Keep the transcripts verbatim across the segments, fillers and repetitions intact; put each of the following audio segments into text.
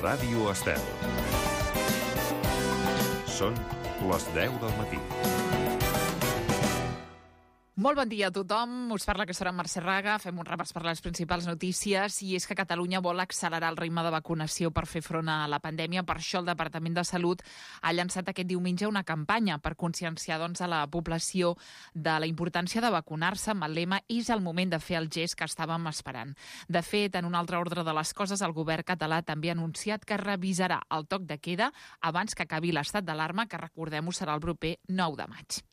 Ràdio Estel. Són les deu del matí. Molt bon dia a tothom. Us parla aquesta hora Mercè Raga. Fem un repàs per les principals notícies i és que Catalunya vol accelerar el ritme de vacunació per fer front a la pandèmia. Per això el Departament de Salut ha llançat aquest diumenge una campanya per conscienciar doncs, a la població de la importància de vacunar-se amb el lema "És el moment de fer el gest que estàvem esperant". De fet, en un altre ordre de les coses, el govern català també ha anunciat que revisarà el toc de queda abans que acabi l'estat d'alarma, que recordem-ho serà el proper nou de maig.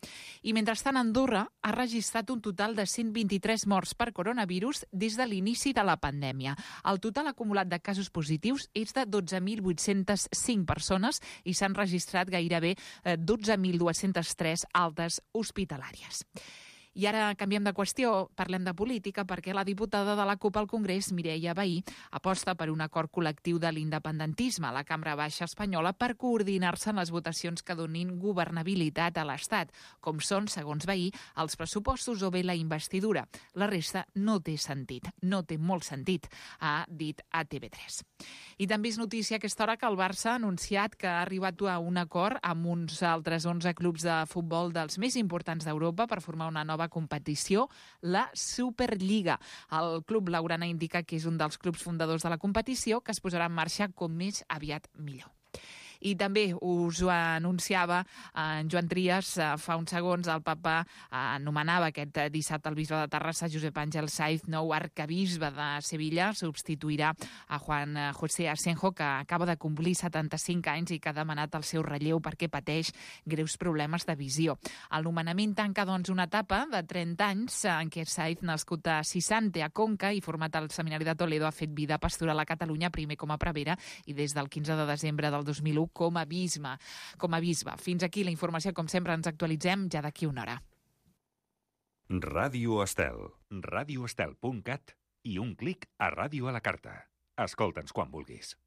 I mentrestant, Andorra ha registrat registrat un total de cent vint-i-tres morts per coronavirus des de l'inici de la pandèmia. El total acumulat de casos positius és de dotze mil vuit-cents cinc persones i s'han registrat gairebé dotze mil dos-cents tres altes hospitalàries. I ara canviem de qüestió, parlem de política, perquè la diputada de la CUP al Congrés, Mireia Vehí, aposta per un acord col·lectiu de l'independentisme a la Cambra Baixa espanyola per coordinar-se en les votacions que donin governabilitat a l'Estat, com són, segons Vehí, els pressupostos o bé la investidura. La resta no té sentit, no té molt sentit, ha dit a T V tres. I també és notícia a aquesta hora que el Barça ha anunciat que ha arribat a un acord amb uns altres onze clubs de futbol dels més importants d'Europa per formar una nova competició, la Superliga. El club blaugrana indica que és un dels clubs fundadors de la competició que es posarà en marxa com més aviat millor. I també us ho anunciava en Joan Trias fa uns segons. El papa anomenava aquest dissabte el bisbe de Terrassa, Josep Àngel Saiz, nou arcabisbe de Sevilla. Substituirà a Juan José Asenjo, que acaba de complir setanta-cinc anys i que ha demanat el seu relleu perquè pateix greus problemes de visió. El nomenament tanca, doncs, una etapa de trenta anys en què Saiz, nascut a Sisante, a Conca, i format al Seminari de Toledo, ha fet vida pastoral a Catalunya, primer com a prevere i des del quinze de desembre del dos mil u com a bisbe. Com a bisbe. Fins aquí la informació. Com sempre, ens actualitzem ja d'aquí una hora. Ràdio Estel. ràdio estel punt cat i un clic a Ràdio a la Carta. Escolta'ns quan vulguis.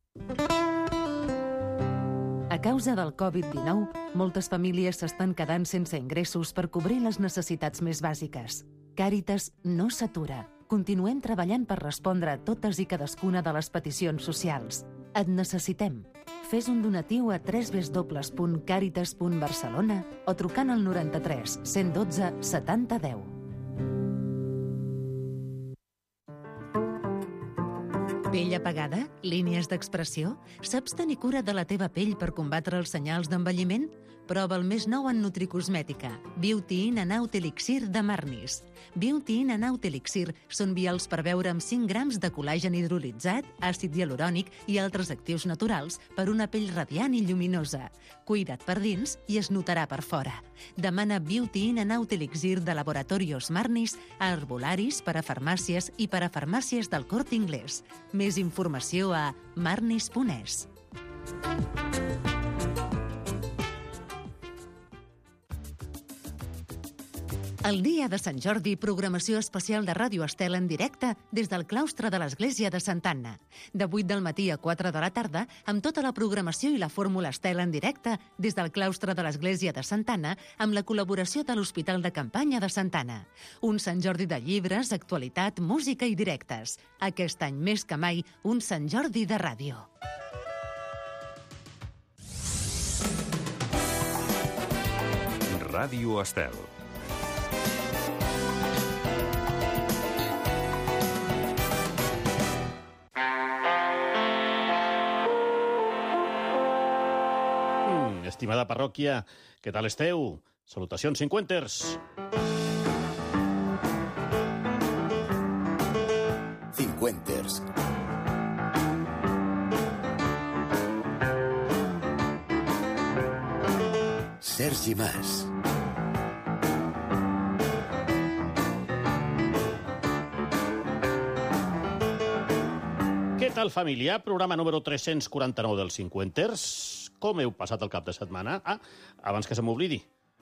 A causa del covid dinou, moltes famílies s'estan quedant sense ingressos per cobrir les necessitats més bàsiques. Càritas no s'atura. Continuem treballant per respondre a totes i cadascuna de les peticions socials. Et necessitem. Fes un donatiu a w w w punt càritas punt barcelona o trucant al noranta-tres cent dotze setanta deu. Pell apagada? Línies d'expressió? Saps tenir cura de la teva pell per combatre els senyals d'envelliment? Prova el més nou en nutricosmètica, Beauty In and Out Elixir de Marnis. Beauty In and Out Elixir són vials per beure amb cinc grams de col·làgen hidrolitzat, àcid hialurònic i altres actius naturals per una pell radiant i lluminosa. Cuida't per dins i es notarà per fora. Demana Beauty In and Out Elixir de Laboratorios Marnis a herbolaris, per a farmàcies i per a farmàcies del Corte Inglés. Més informació a marnis punt es. El dia de Sant Jordi, programació especial de Ràdio Estel en directe des del claustre de l'Església de Santa Anna. De vuit del matí a quatre de la tarda, amb tota la programació i la fórmula Estel en directe des del claustre de l'Església de Santa Anna amb la col·laboració de l'Hospital de Campanya de Santa Anna. Un Sant Jordi de llibres, actualitat, música i directes. Aquest any més que mai, un Sant Jordi de ràdio. Ràdio Estel. Estimada parròquia, què tal esteu? Salutacions cinquenters! Cinquenters. Sergi Mas. Què tal, família? Programa número tres-cents quaranta-nou dels cinquenters. Com heu passat el cap de setmana? Ah, abans que se m'oblidi,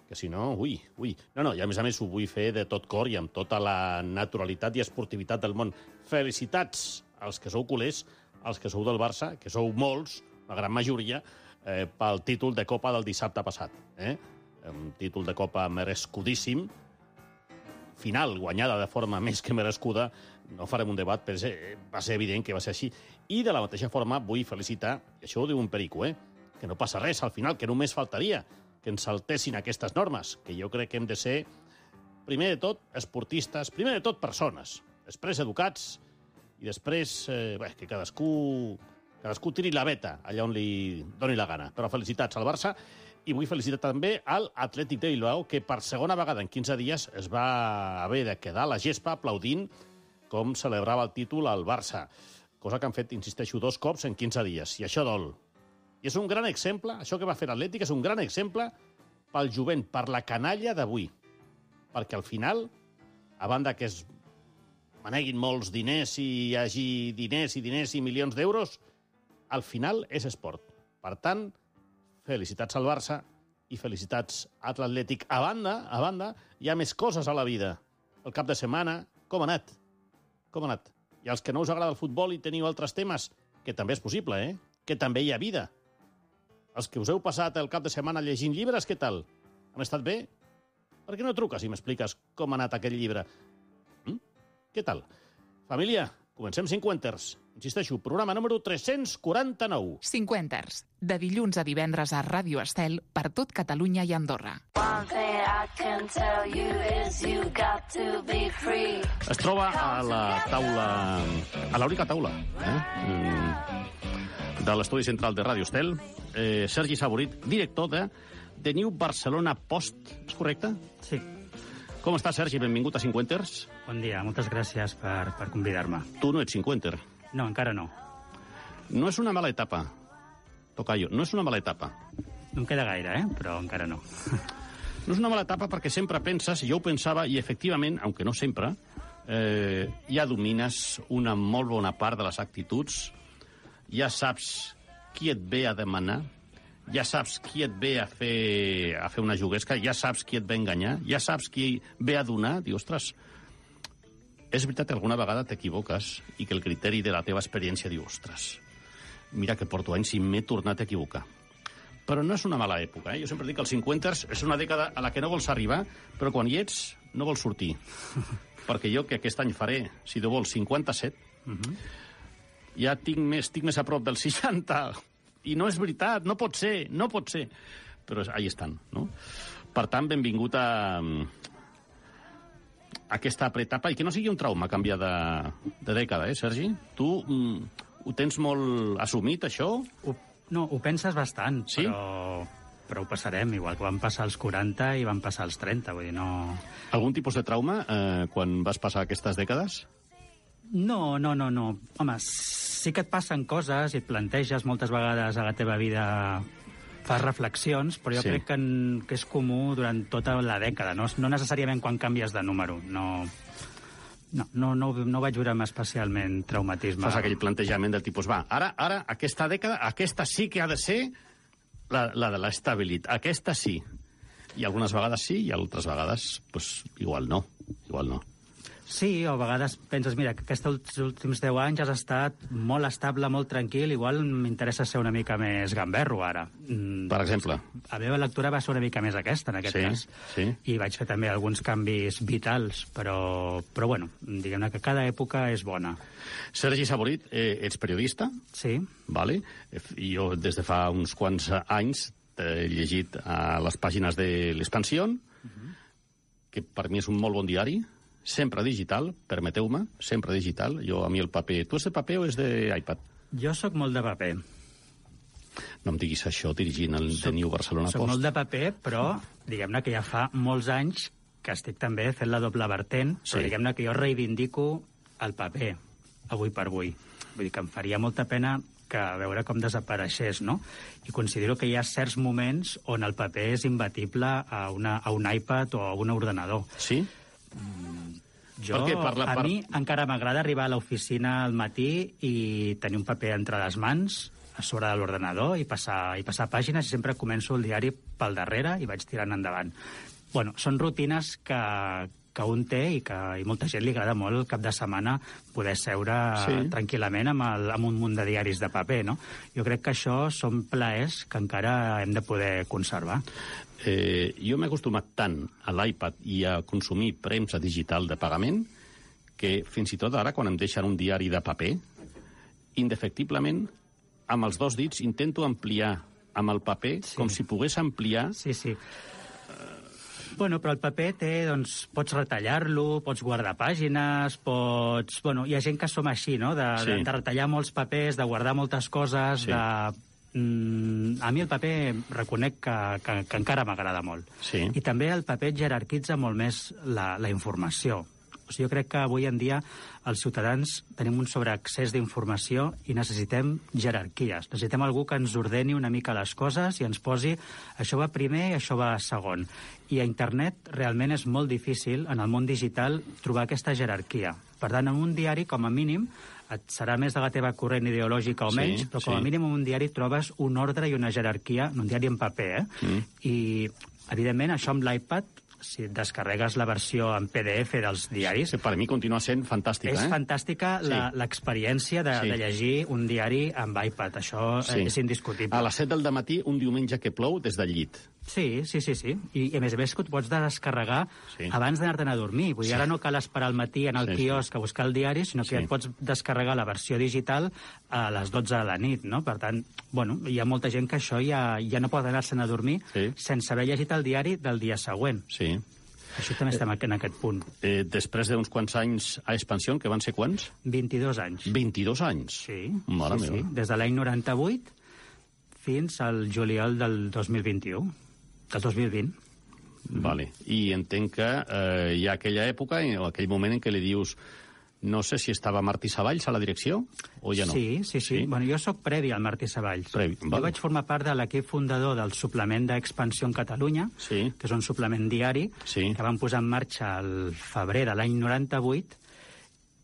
que si no, ui, ui. No, no, i a més a més ho vull fer de tot cor i amb tota la naturalitat i esportivitat del món. Felicitats als que sou culers, als que sou del Barça, que sou molts, la gran majoria, eh, pel títol de Copa del dissabte passat. Eh? Un títol de Copa merescudíssim. final guanyada de forma més que merescuda, no farem un debat, però va ser evident que va ser així. I de la mateixa forma vull felicitar, i això ho diu un perico, eh? que no passa res al final, que només faltaria que ens saltessin aquestes normes, que jo crec que hem de ser, primer de tot, esportistes, primer de tot, persones, després educats, i després eh, bé, que cadascú, cadascú tiri la veta allà on li doni la gana. Però felicitats al Barça, i vull felicitar també al Atlètic de Bilbao, que per segona vegada en quinze dies es va haver de quedar a la gespa aplaudint com celebrava el títol al Barça. Cosa que han fet, insisteixo, dos cops en quinze dies. I això dol. I és un gran exemple, això que va fer l'Atlètic és un gran exemple pel jovent, per la canalla d'avui. Perquè al final, a banda que es maneguin molts diners i hi hagi diners i diners i milions d'euros, al final és esport. Per tant, felicitats al Barça i felicitats a l'Atlètic. A banda, a banda, hi ha més coses a la vida. El cap de setmana, com ha anat? Com ha anat? I als que no us agrada el futbol i teniu altres temes, que també és possible, eh? Que també hi ha vida. Els que us heu passat el cap de setmana llegint llibres, què tal? Han estat bé? Per què no truques i m'expliques com ha anat aquell llibre? Mm? Què tal? Família, comencem Cinquenters. Insisteixo, programa número tres-cents quaranta-nou. Cinquenters, de dilluns a divendres a Ràdio Estel per tot Catalunya i Andorra. Es troba a la taula, a l'única taula, eh? de l'estudi central de Ràdio Estel, eh, Sergi Saborit, director de The New Barcelona Post. És correcte? Sí. Com està, Sergi? Benvingut a Cinquenters. Bon dia, moltes gràcies per, per convidar-me. Tu no ets cinquenter. No, encara no. No és una mala etapa, Tocayo, no és una mala etapa. No em queda gaire, eh? Però encara no. No és una mala etapa perquè sempre penses, jo ho pensava, i efectivament, aunque no sempre, eh, ja domines una molt bona part de les actituds, ja saps qui et ve a demanar, ja saps qui et ve a fer, a fer una juguesca, ja saps qui et ve a enganyar, ja saps qui ve a donar. Diu, ostres, és veritat que alguna vegada t'equivoques i que el criteri de la teva experiència diu, ostres, mira que porto anys i m'he tornat a equivocar. Però no és una mala època, eh? Jo sempre dic que els cinquenters és una dècada a la que no vols arribar, però quan hi ets no vols sortir. Perquè jo, que aquest any faré, si Déu vol, cinquanta-set, uh-huh. ja tinc més, tinc més a prop dels seixanta. I no és veritat, no pot ser, no pot ser. Però ahí estan, no? Per tant, benvingut a aquesta etapa, i que no sigui un trauma canviar de, de dècada, eh, Sergi? Tu mm, ho tens molt assumit, això? Ho, no, ho penses bastant, sí? però, però ho passarem, igual que van passar els quaranta i van passar els trenta, vull dir, no... Algun tipus de trauma eh, quan vas passar aquestes dècades? No, no, no, no. Home, sí que et passen coses i et planteges moltes vegades a la teva vida, fas reflexions, però jo sí. crec que, en, que és comú durant tota la dècada, no, no necessàriament quan canvies de número. No, no, no, no, no vaig veure especialment traumatisme. Fas aquell plantejament del tipus, va, ara, ara aquesta dècada, aquesta sí que ha de ser la, la de l'estabilitat. Aquesta sí. I algunes vegades sí, i altres vegades, pues, igual no. Igual no. Sí, o a vegades penses, mira, que aquests últims deu anys has estat molt estable, molt tranquil, igual m'interessa ser una mica més gamberro ara. Per exemple? La meva lectura va ser una mica més aquesta, en aquest sí, cas. Sí. I vaig fer també alguns canvis vitals, però, però bueno, diguem-ne que cada època és bona. Sergi Saborit, eh, ets periodista? Sí. Vale. Jo des de fa uns quants anys t'he llegit a les pàgines de l'Expansión, uh-huh. que per mi és un molt bon diari, sempre digital, permeteu-me, sempre digital. Jo, a mi el paper... Tu és de paper o és d'iPad? Jo sóc molt de paper. No em diguis això dirigint el The New Barcelona Post. Soc molt de paper, però diguem-ne que ja fa molts anys que estic també fent la doble vertent, sí. però diguem-ne que jo reivindico el paper, avui per avui. Vull dir que em faria molta pena que veure com desapareixés, no? I considero que hi ha certs moments on el paper és imbatible a, una, a un iPad o a un ordenador. Sí? Mm, jo, per què? Per la, per... a mi encara m'agrada arribar a l'oficina al matí i tenir un paper entre les mans a sobre de l'ordenador i passar, i passar pàgines, i sempre començo el diari pel darrere i vaig tirant endavant. Bueno, són rutines que, que un té i que i molta gent li agrada molt el cap de setmana poder seure Sí. tranquil·lament amb, el, amb un munt de diaris de paper, no? Jo crec que això són plaers que encara hem de poder conservar. Eh, jo m'he acostumat tant a l'iPad i a consumir premsa digital de pagament que fins i tot ara, quan em deixen un diari de paper, indefectiblement, amb els dos dits intento ampliar amb el paper Sí. com si pogués ampliar. Sí, sí. Bueno, però el paper té, doncs, pots retallar-lo, pots guardar pàgines, pots... Bueno, hi ha gent que som així, no?, de, Sí. de, de retallar molts papers, de guardar moltes coses, Sí. de... Mm, a mi el paper reconec que, que, que encara m'agrada molt. Sí. I també el paper jerarquitza molt més la, la informació. O sigui, jo crec que avui en dia els ciutadans tenim un sobreaccés d'informació i necessitem jerarquies. Necessitem algú que ens ordeni una mica les coses i ens posi això va primer i això va segon. I a internet realment és molt difícil, en el món digital, trobar aquesta jerarquia. Per tant, en un diari, com a mínim, et serà més de la teva corrent ideològica o Sí, menys, però com a sí. mínim en un diari trobes un ordre i una jerarquia, en un diari en paper, eh? Mm. I, evidentment, això amb l'iPad, si et descarregues la versió en P D F dels diaris, Que per mi continua sent fantàstica, és eh? fantàstica la- Sí. l'experiència de, Sí. de llegir un diari amb iPad. Això Sí. eh, és indiscutible. A les set del dematí, un diumenge que plou, des del llit. Sí, sí, sí, sí. I, i a més a més que et pots descarregar Sí. abans d'anar-te'n a dormir. Vull dir, Sí. ara no cal esperar al matí en el Sí, sí. quiosc a buscar el diari, sinó que Sí. ja et pots descarregar la versió digital a les dotze de la nit, no? Per tant, bueno, hi ha molta gent que això ja, ja no pot anar-se'n a dormir Sí. sense haver llegit el diari del dia següent. Sí. Això també estem en aquest punt. Eh, després d'uns quants anys a expansió, que van ser quants? vint-i-dos anys. vint-i-dos anys. Sí, Mare sí, meva. sí. Des de l'any noranta-vuit fins al juliol del dos mil vint-i-u. Del dos mil vint. Vale. I entenc que eh, hi ha aquella època, o aquell moment en què li dius no sé si estava Martí Savalls a la direcció o ja no. Sí, sí, sí. Bueno, jo sóc previ al Martí Savalls. Previ, Jo vale. vaig formar part de l'equip fundador del suplement d'Expansió en Catalunya, Sí. que és un suplement diari Sí. que van posar en marxa al febrer de l'any noranta-vuit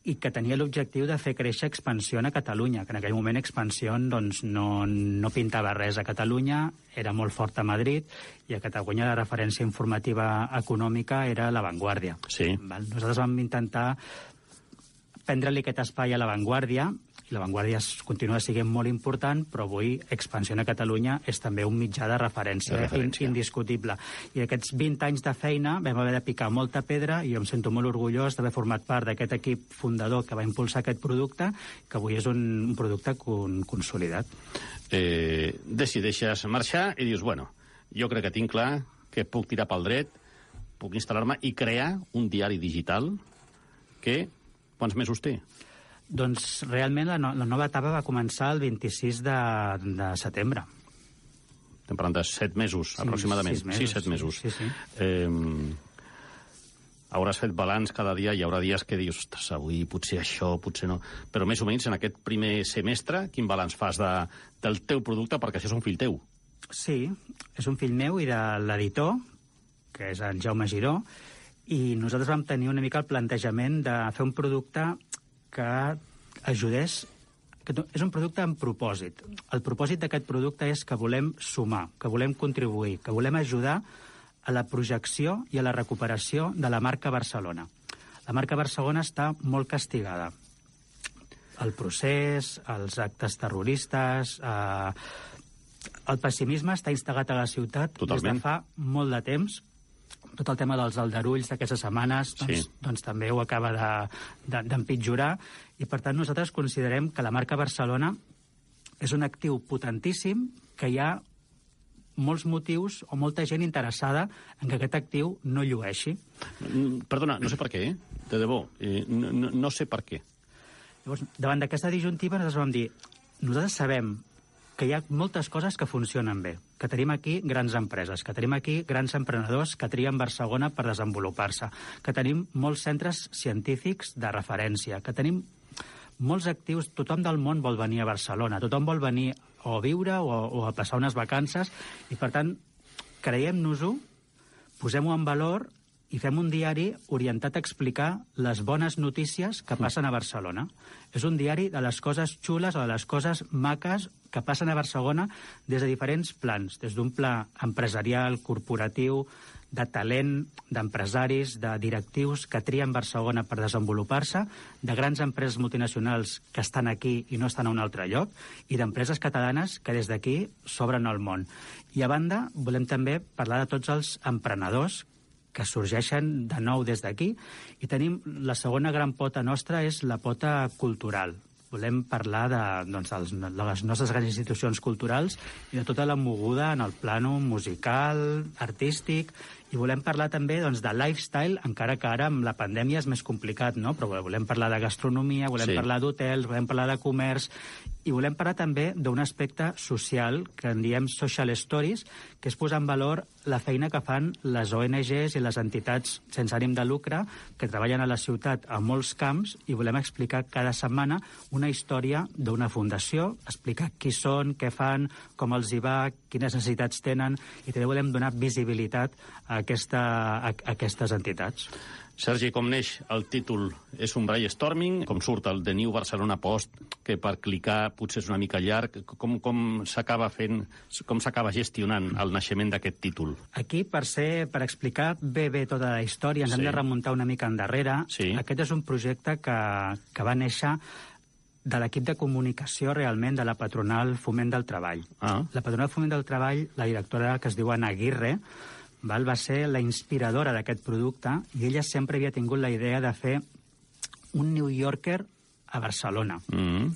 i que tenia l'objectiu de fer créixer Expansió a Catalunya, que en aquell moment Expansió doncs, no, no pintava res a Catalunya, era molt fort a Madrid, i a Catalunya la referència informativa econòmica era La Vanguardia. Sí. Val? Nosaltres vam intentar prendre-li aquest espai a La Vanguardia, i La Vanguardia es- continua sent molt important, però avui Expansió a Catalunya és també un mitjà de referència, De referència. In, indiscutible. I aquests vint anys de feina vam haver de picar molta pedra i jo em sento molt orgullós d'haver format part d'aquest equip fundador que va impulsar aquest producte, que avui és un, un producte con, consolidat. Eh, decideixes marxar i dius, bueno, jo crec que tinc clar que puc tirar pel dret, puc instal·lar-me i crear un diari digital que... Quants mesos té? Doncs realment la, no, la nova etapa va començar el vint-i-sis de, de setembre. Estem parlant de set mesos, Sí, aproximadament. sis mesos, Sis, set sí, mesos. sí, sí. Eh, hauràs fet balanç cada dia, hi haurà dies que dius, ostres, avui potser això, potser no... Però més o menys en aquest primer semestre, quin balanç fas de, del teu producte? Perquè això és un fill teu. Sí, és un fill meu i de l'editor, que és en Jaume Giró, i nosaltres vam tenir una mica el plantejament de fer un producte que ajudés... Que és un producte amb propòsit. El propòsit d'aquest producte és que volem sumar, que volem contribuir, que volem ajudar a la projecció i a la recuperació de la marca Barcelona. La marca Barcelona està molt castigada. El procés, els actes terroristes... Eh, el pessimisme està instal·lat a la ciutat Totalment. des de fa molt de temps. Tot el tema dels aldarulls d'aquestes setmanes doncs, Sí. doncs també ho acaba d'empitjorar, de, de, i per tant nosaltres considerem que la marca Barcelona és un actiu potentíssim, que hi ha molts motius o molta gent interessada en que aquest actiu no llueixi. Mm, Perdona, no sé per què, eh? De debò, eh, no, no, no sé per què. Llavors, davant d'aquesta disjuntiva, nosaltres vam dir, nosaltres sabem que hi ha moltes coses que funcionen bé, que tenim aquí grans empreses, que tenim aquí grans emprenedors que trien Barcelona per desenvolupar-se, que tenim molts centres científics de referència, que tenim molts actius, tothom del món vol venir a Barcelona, tothom vol venir o a viure o, o a passar unes vacances, i per tant, creiem-nos-ho, posem-ho en valor i fem un diari orientat a explicar les bones notícies que passen a Barcelona. És un diari de les coses xules o de les coses maques que passen a Barcelona des de diferents plans, des d'un pla empresarial, corporatiu, de talent, d'empresaris, de directius que trien Barcelona per desenvolupar-se, de grans empreses multinacionals que estan aquí i no estan a un altre lloc, i d'empreses catalanes que des d'aquí s'obren al món. I a banda, volem també parlar de tots els emprenedors que sorgeixen de nou des d'aquí, i tenim la segona gran pota nostra és la pota cultural. Volem parlar de, doncs, dels, de les nostres grans institucions culturals i de tota la moguda en el plano musical, artístic, i volem parlar també doncs, de lifestyle, encara que ara amb la pandèmia és més complicat, no? Però volem parlar de gastronomia, volem Sí. parlar d'hotels, volem parlar de comerç, i volem parlar també d'un aspecte social que en diem social stories, que és posar en valor la feina que fan les O N Ges i les entitats sense ànim de lucre que treballen a la ciutat a molts camps, i volem explicar cada setmana una història d'una fundació, explicar qui són, què fan, com els hi va, quines necessitats tenen, i també volem donar visibilitat a, aquesta, a, a aquestes entitats. Sergi, com neix el títol? És un brainstorming? Com surt el The New Barcelona Post, que per clicar potser és una mica llarg? Com, com s'acaba fent, com s'acaba gestionant el naixement d'aquest títol? Aquí, per ser, per explicar bé bé tota la història, ens Sí. hem de remuntar una mica endarrere. Sí. Aquest és un projecte que, que va néixer de l'equip de comunicació realment de la patronal Foment del Treball. Ah. La patronal Foment del Treball, la directora, que es diu Anna Aguirre, val, va ser la inspiradora d'aquest producte, i ella sempre havia tingut la idea de fer un New Yorker a Barcelona. Mm.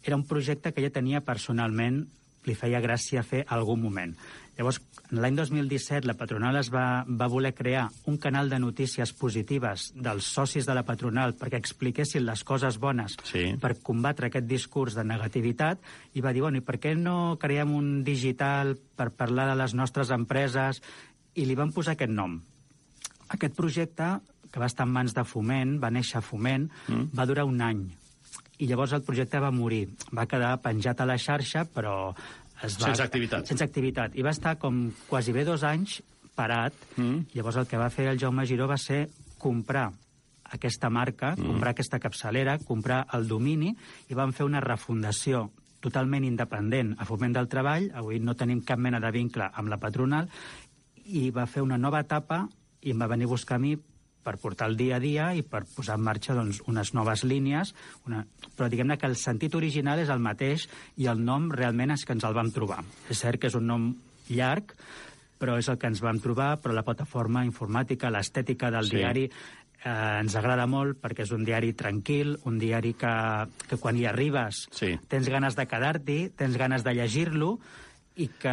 Era un projecte que ella tenia personalment, li feia gràcia fer algun moment. Llavors, l'any dos mil disset, la patronal es va, va voler crear un canal de notícies positives dels socis de la patronal perquè expliquessin les coses bones Sí. per combatre aquest discurs de negativitat, i va dir, bueno, i per què no creem un digital per parlar de les nostres empreses? I li van posar aquest nom. Aquest projecte, que va estar en mans de Foment, va néixer a Foment, mm. va durar un any. I llavors el projecte va morir. Va quedar penjat a la xarxa, però es va... Sense activitat. Sense activitat. I va estar com quasi bé dos anys parat. Mm. Llavors el que va fer el Jaume Giró va ser comprar aquesta marca, mm. comprar aquesta capçalera, comprar el domini, i van fer una refundació totalment independent a Foment del Treball. Avui no tenim cap mena de vincle amb la patronal, i va fer una nova etapa i em va venir a buscar a mi per portar el dia a dia i per posar en marxa doncs, unes noves línies, una... però diguem-ne que el sentit original és el mateix i el nom realment és que ens el vam trobar. És cert que és un nom llarg, però és el que ens vam trobar, però la plataforma informàtica, l'estètica del Sí. diari eh, ens agrada molt perquè és un diari tranquil, un diari que, que quan hi arribes Sí. tens ganes de quedar-t'hi, tens ganes de llegir-lo, i que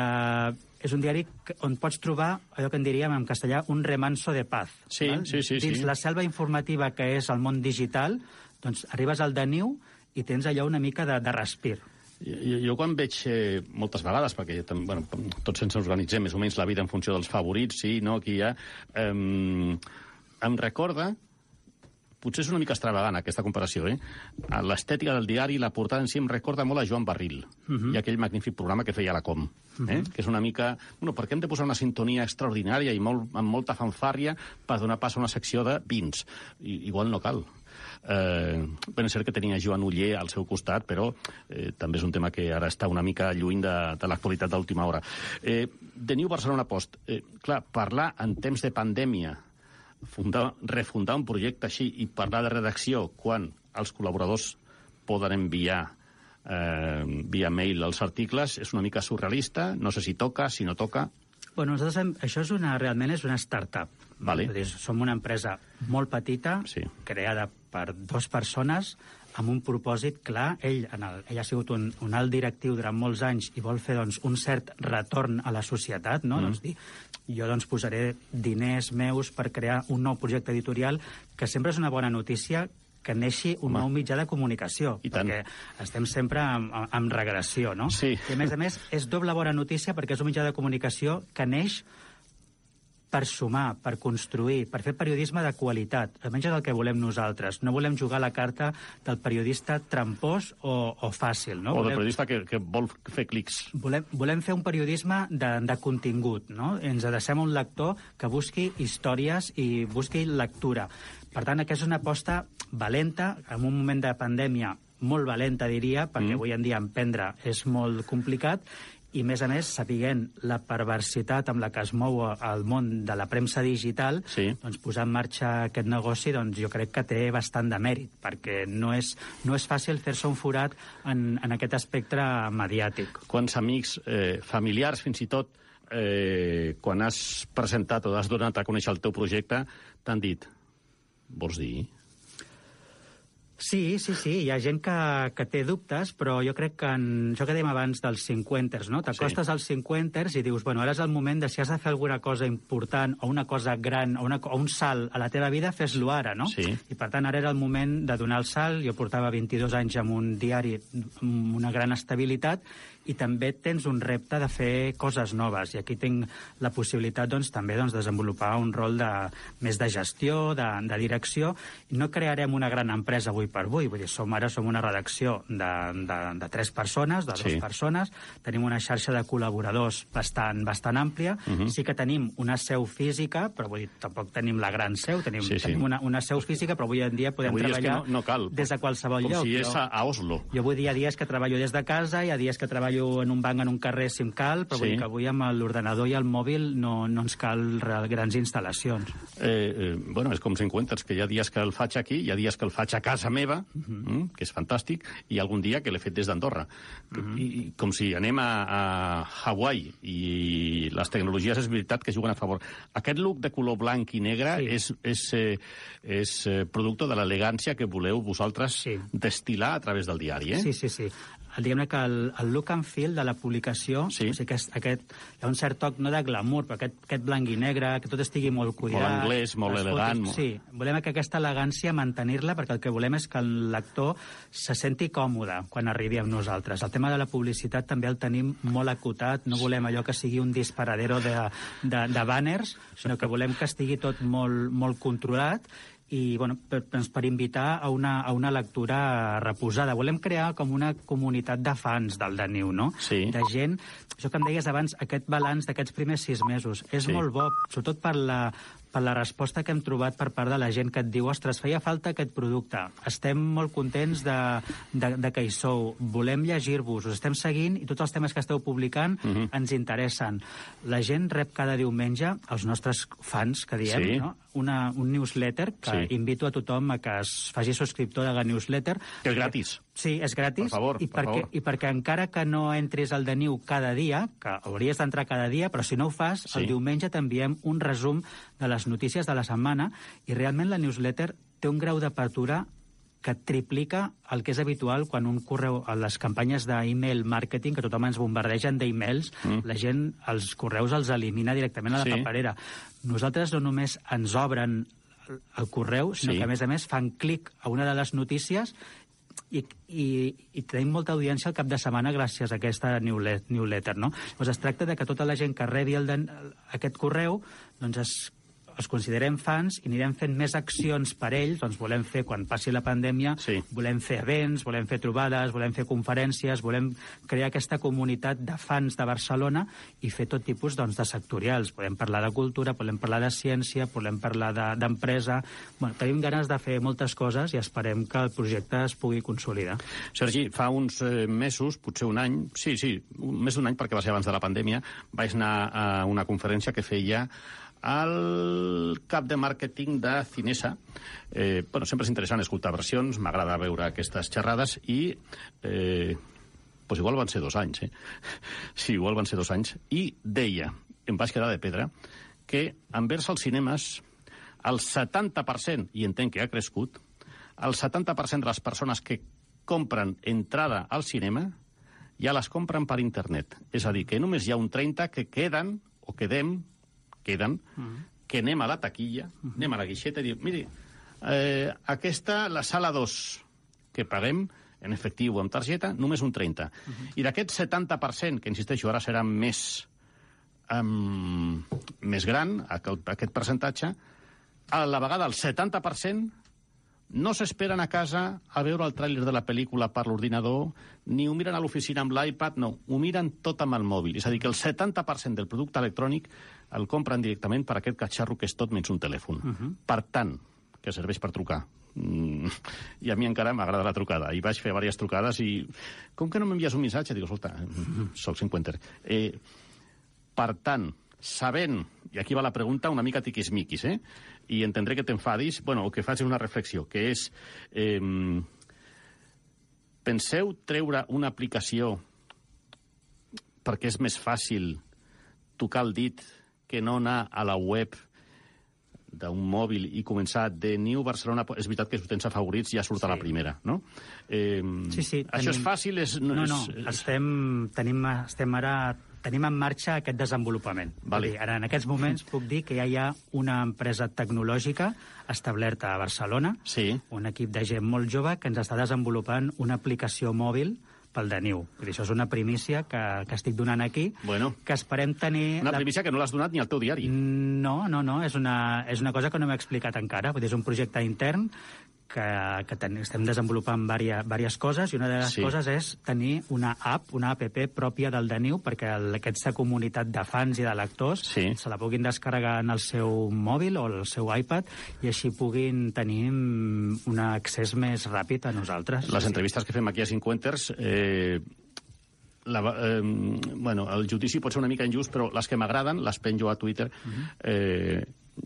és un diari on pots trobar allò que en diríem en castellà un remanso de paz. Sí, val? sí, sí, Dins sí. la selva informativa que és el món digital, doncs arribes al de Niu i tens allò una mica de, de respir. Jo, jo quan veig eh, moltes vegades, perquè tam- bueno, tots ens organitzem més o menys la vida en funció dels favorits, sí, no, aquí hi ha... Eh, em recorda, potser és una mica extravagant aquesta comparació, eh? L'estètica del diari, la portada en si em recorda molt a Joan Barril, uh -huh. i aquell magnífic programa que feia a la Com, eh? Uh -huh. Que és una mica... Bueno, per què hem de posar una sintonia extraordinària i molt, amb molta fanfàrria per donar pas a una secció de vins? I, igual no cal. Eh, ben és cert que tenia Joan Uller al seu costat, però eh, també és un tema que ara està una mica lluny de, de l'actualitat d'última hora. Eh, The New Barcelona Post. Eh, clar, parlar en temps de pandèmia, fundar, refundar un projecte així i parlar de redacció quan els col·laboradors poden enviar eh, via mail els articles és una mica surrealista. No sé si toca, si no toca. Bueno, nosaltres hem, això és una, realment és una start-up. Vale. Dir, som una empresa molt petita, Sí. creada per dues persones, amb un propòsit clar. Ell, en el, ell ha sigut un, un alt directiu durant molts anys i vol fer doncs, un cert retorn a la societat, no? Mm. Doncs dir, jo doncs, posaré diners meus per crear un nou projecte editorial, que sempre és una bona notícia que neixi un Home. nou mitjà de comunicació, I tant. perquè estem sempre en, en, en regressió, no? Sí. I a més a més és doble bona notícia perquè és un mitjà de comunicació que neix per sumar, per construir, per fer periodisme de qualitat. Almenys és el que volem nosaltres. No volem jugar la carta del periodista trampós o, o fàcil, no? O del Volem- periodista que, que vol fer clics. Volem, volem fer un periodisme de, de contingut, no? Ens adrecem a un lector que busqui històries i busqui lectura. Per tant, aquesta és una aposta valenta, en un moment de pandèmia molt valenta, diria, perquè Mm. avui en dia emprendre és molt complicat, i, a més a més, sapiguent la perversitat amb la que es mou el món de la premsa digital, sí. doncs posar en marxa aquest negoci, doncs jo crec que té bastant de mèrit, perquè no és, no és fàcil fer-se un forat en, en aquest espectre mediàtic. Quants amics, eh, familiars, fins i tot, eh, quan has presentat o has donat a conèixer el teu projecte, t'han dit, vols dir? Sí, sí, sí, hi ha gent que, que té dubtes, però jo crec que en això que dèiem abans dels cinquanters, no? T'acostes sí. als cinquanters i dius, bueno, ara és el moment de si has de fer alguna cosa important o una cosa gran o, una, o un salt a la teva vida, fes-lo ara, no? Sí. I per tant, ara era el moment de donar el salt. Jo portava vint-i-dos anys amb un diari amb una gran estabilitat i també tens un repte de fer coses noves. I aquí tinc la possibilitat, doncs, també doncs, desenvolupar un rol de, més de gestió, de, de direcció. I no crearem una gran empresa avui per avui. Vull dir, som, ara som una redacció de, de, de tres persones, de sí. dues persones. Tenim una xarxa de col·laboradors bastant, bastant àmplia. Uh -huh. Sí que tenim una seu física, però vull dir, tampoc tenim la gran seu. Tenim, sí, sí. tenim una, una seu física, però avui en dia podem avui treballar no, no cal, des de qualsevol com lloc. Com si és a, a Oslo. Jo vull dir, hi ha dies que treballo des de casa, hi ha dies que treballo en un banc en un carrer si em cal, però sí. vull dir que avui amb l'ordenador i el mòbil no, no ens cal grans instal·lacions. Eh, eh, bueno, és com cinquanters, que hi ha dies que el faig aquí, hi ha dies que el faig a casa meva, uh -huh. mm, que és fantàstic, i algun dia que l'he fet des d'Andorra. Uh -huh. I, I com si anem a, a Hawaii, i les tecnologies és veritat que juguen a favor. Aquest look de color blanc i negre sí. és, és, eh, és eh, producte de l'elegància que voleu vosaltres sí. destil·lar a través del diari, eh? Sí, sí, sí. Diguem-ne que el, el look and feel de la publicació, sí. o sigui que aquest, hi ha un cert toc, no de glamour, però aquest, aquest blanc i negre, que tot estigui molt cuidat. Molt anglès, molt elegant. Fotos, sí, volem que aquesta elegància mantenir-la, perquè el que volem és que el lector se senti còmode quan arribi amb nosaltres. El tema de la publicitat també el tenim molt acotat, no volem allò que sigui un disparadero de, de, de banners, sinó que volem que estigui tot molt, molt controlat, i bueno, per, per invitar a una, a una lectura reposada. Volem crear com una comunitat de fans del Deniu, no? Sí. De gent, això que em deies abans, aquest balanç d'aquests primers sis mesos, és sí. molt bo, sobretot per la, per la resposta que hem trobat per part de la gent que et diu, ostres, feia falta aquest producte, estem molt contents de, de, de que hi sou, volem llegir-vos, us estem seguint i tots els temes que esteu publicant uh -huh. ens interessen. La gent rep cada diumenge, els nostres fans, que diem, sí. no? Una, un newsletter que sí. invito a tothom a que es faci subscriptor de la newsletter. Que és gratis. Sí, és gratis. Per favor, i per perquè, favor. I perquè encara que no entris al Deniu cada dia, que hauries d'entrar cada dia, però si no ho fas, sí. el diumenge t'enviem un resum de les notícies de la setmana i realment la newsletter té un grau d'apertura que triplica el que és habitual quan un correu, a les campanyes d'e-mail marketing, que tothom ens bombardegen d'e-mails, mm. la gent els correus els elimina directament a la sí. paperera. Nosaltres no només ens obren el correu, sinó sí. que, a més a més, fan clic a una de les notícies i, i, i tenim molta audiència al cap de setmana gràcies a aquesta newsletter, no? Llavors es tracta de que tota la gent que rebi el de, aquest correu doncs es els considerem fans i anirem fent més accions per ells, doncs volem fer, quan passi la pandèmia, sí. volem fer events, volem fer trobades, volem fer conferències, volem crear aquesta comunitat de fans de Barcelona i fer tot tipus doncs, de sectorials. Podem parlar de cultura, podem parlar de ciència, podem parlar d'empresa... De, bueno, tenim ganes de fer moltes coses i esperem que el projecte es pugui consolidar. Sergi, fa uns eh, mesos, potser un any, sí, sí, un, més d'un any, perquè va ser abans de la pandèmia, vaig anar a una conferència que feia el cap de màrqueting de Cinesa. Eh, bueno, sempre és interessant escoltar versions, m'agrada veure aquestes xerrades i... Eh, pues igual van ser dos anys, eh? Sí, igual van ser dos anys. I deia, em vaig quedar de pedra, que envers els cinemes el setanta per cent, i entenc que ha crescut, el setanta per cent de les persones que compren entrada al cinema ja les compren per internet. És a dir, que només hi ha un trenta que queden, o quedem, queden, uh -huh. que anem a la taquilla, uh -huh. anem a la guixeta i diu, miri, eh, aquesta, la sala dos, que paguem en efectiu o amb targeta, només un trenta. Uh -huh. I d'aquest setanta per cent, que insisteixo, ara serà més, um, més gran, aquest, aquest percentatge, a la vegada el setanta per cent no s'esperen a casa a veure el tràiler de la pel·lícula per l'ordinador, ni ho miren a l'oficina amb l'iPad, no, ho miren tot amb el mòbil. És a dir, que el setanta per cent del producte electrònic el compren directament per aquest catxarro que és tot menys un telèfon. Uh -huh. Per tant, que serveix per trucar, Mm, I a mi encara m'agrada la trucada. I vaig fer diverses trucades i... Com que no m'envies un missatge? Dic, escolta, soc cinquenter. Eh, per tant, sabent, i aquí va la pregunta una mica tiquismiquis, eh? I entendré que t'enfadis, bueno, el que faig és una reflexió, que és... Eh, penseu treure una aplicació perquè és més fàcil tocar el dit que no anar a la web d'un mòbil i començar de New Barcelona... És veritat que si ho tens a favorits ja surt sí. a la primera, no? Eh, sí, sí. Això tenim... és fàcil? És, no, no, és... estem, tenim, estem ara... Tenim en marxa aquest desenvolupament. Vale. Dir, ara, en aquests moments, puc dir que ja hi ha una empresa tecnològica establerta a Barcelona, sí. un equip de gent molt jove que ens està desenvolupant una aplicació mòbil pel Deniu. Això és una primícia que, que estic donant aquí, bueno, que esperem tenir... Una primícia la... que no l'has donat ni al teu diari. No, no, no, és una, és una cosa que no m'he explicat encara. Vull dir, és un projecte intern que, que ten, estem desenvolupant diverses, diverses coses, i una de les sí. coses és tenir una app, una app pròpia del Deniu, perquè el, aquesta comunitat de fans i de lectors sí. se la puguin descarregar en el seu mòbil o el seu iPad i així puguin tenir un accés més ràpid a nosaltres. Les entrevistes que fem aquí a Cinquenters, eh, la, eh, bueno, el judici pot ser una mica injust, però les que m'agraden les penjo a Twitter, uh-huh. eh,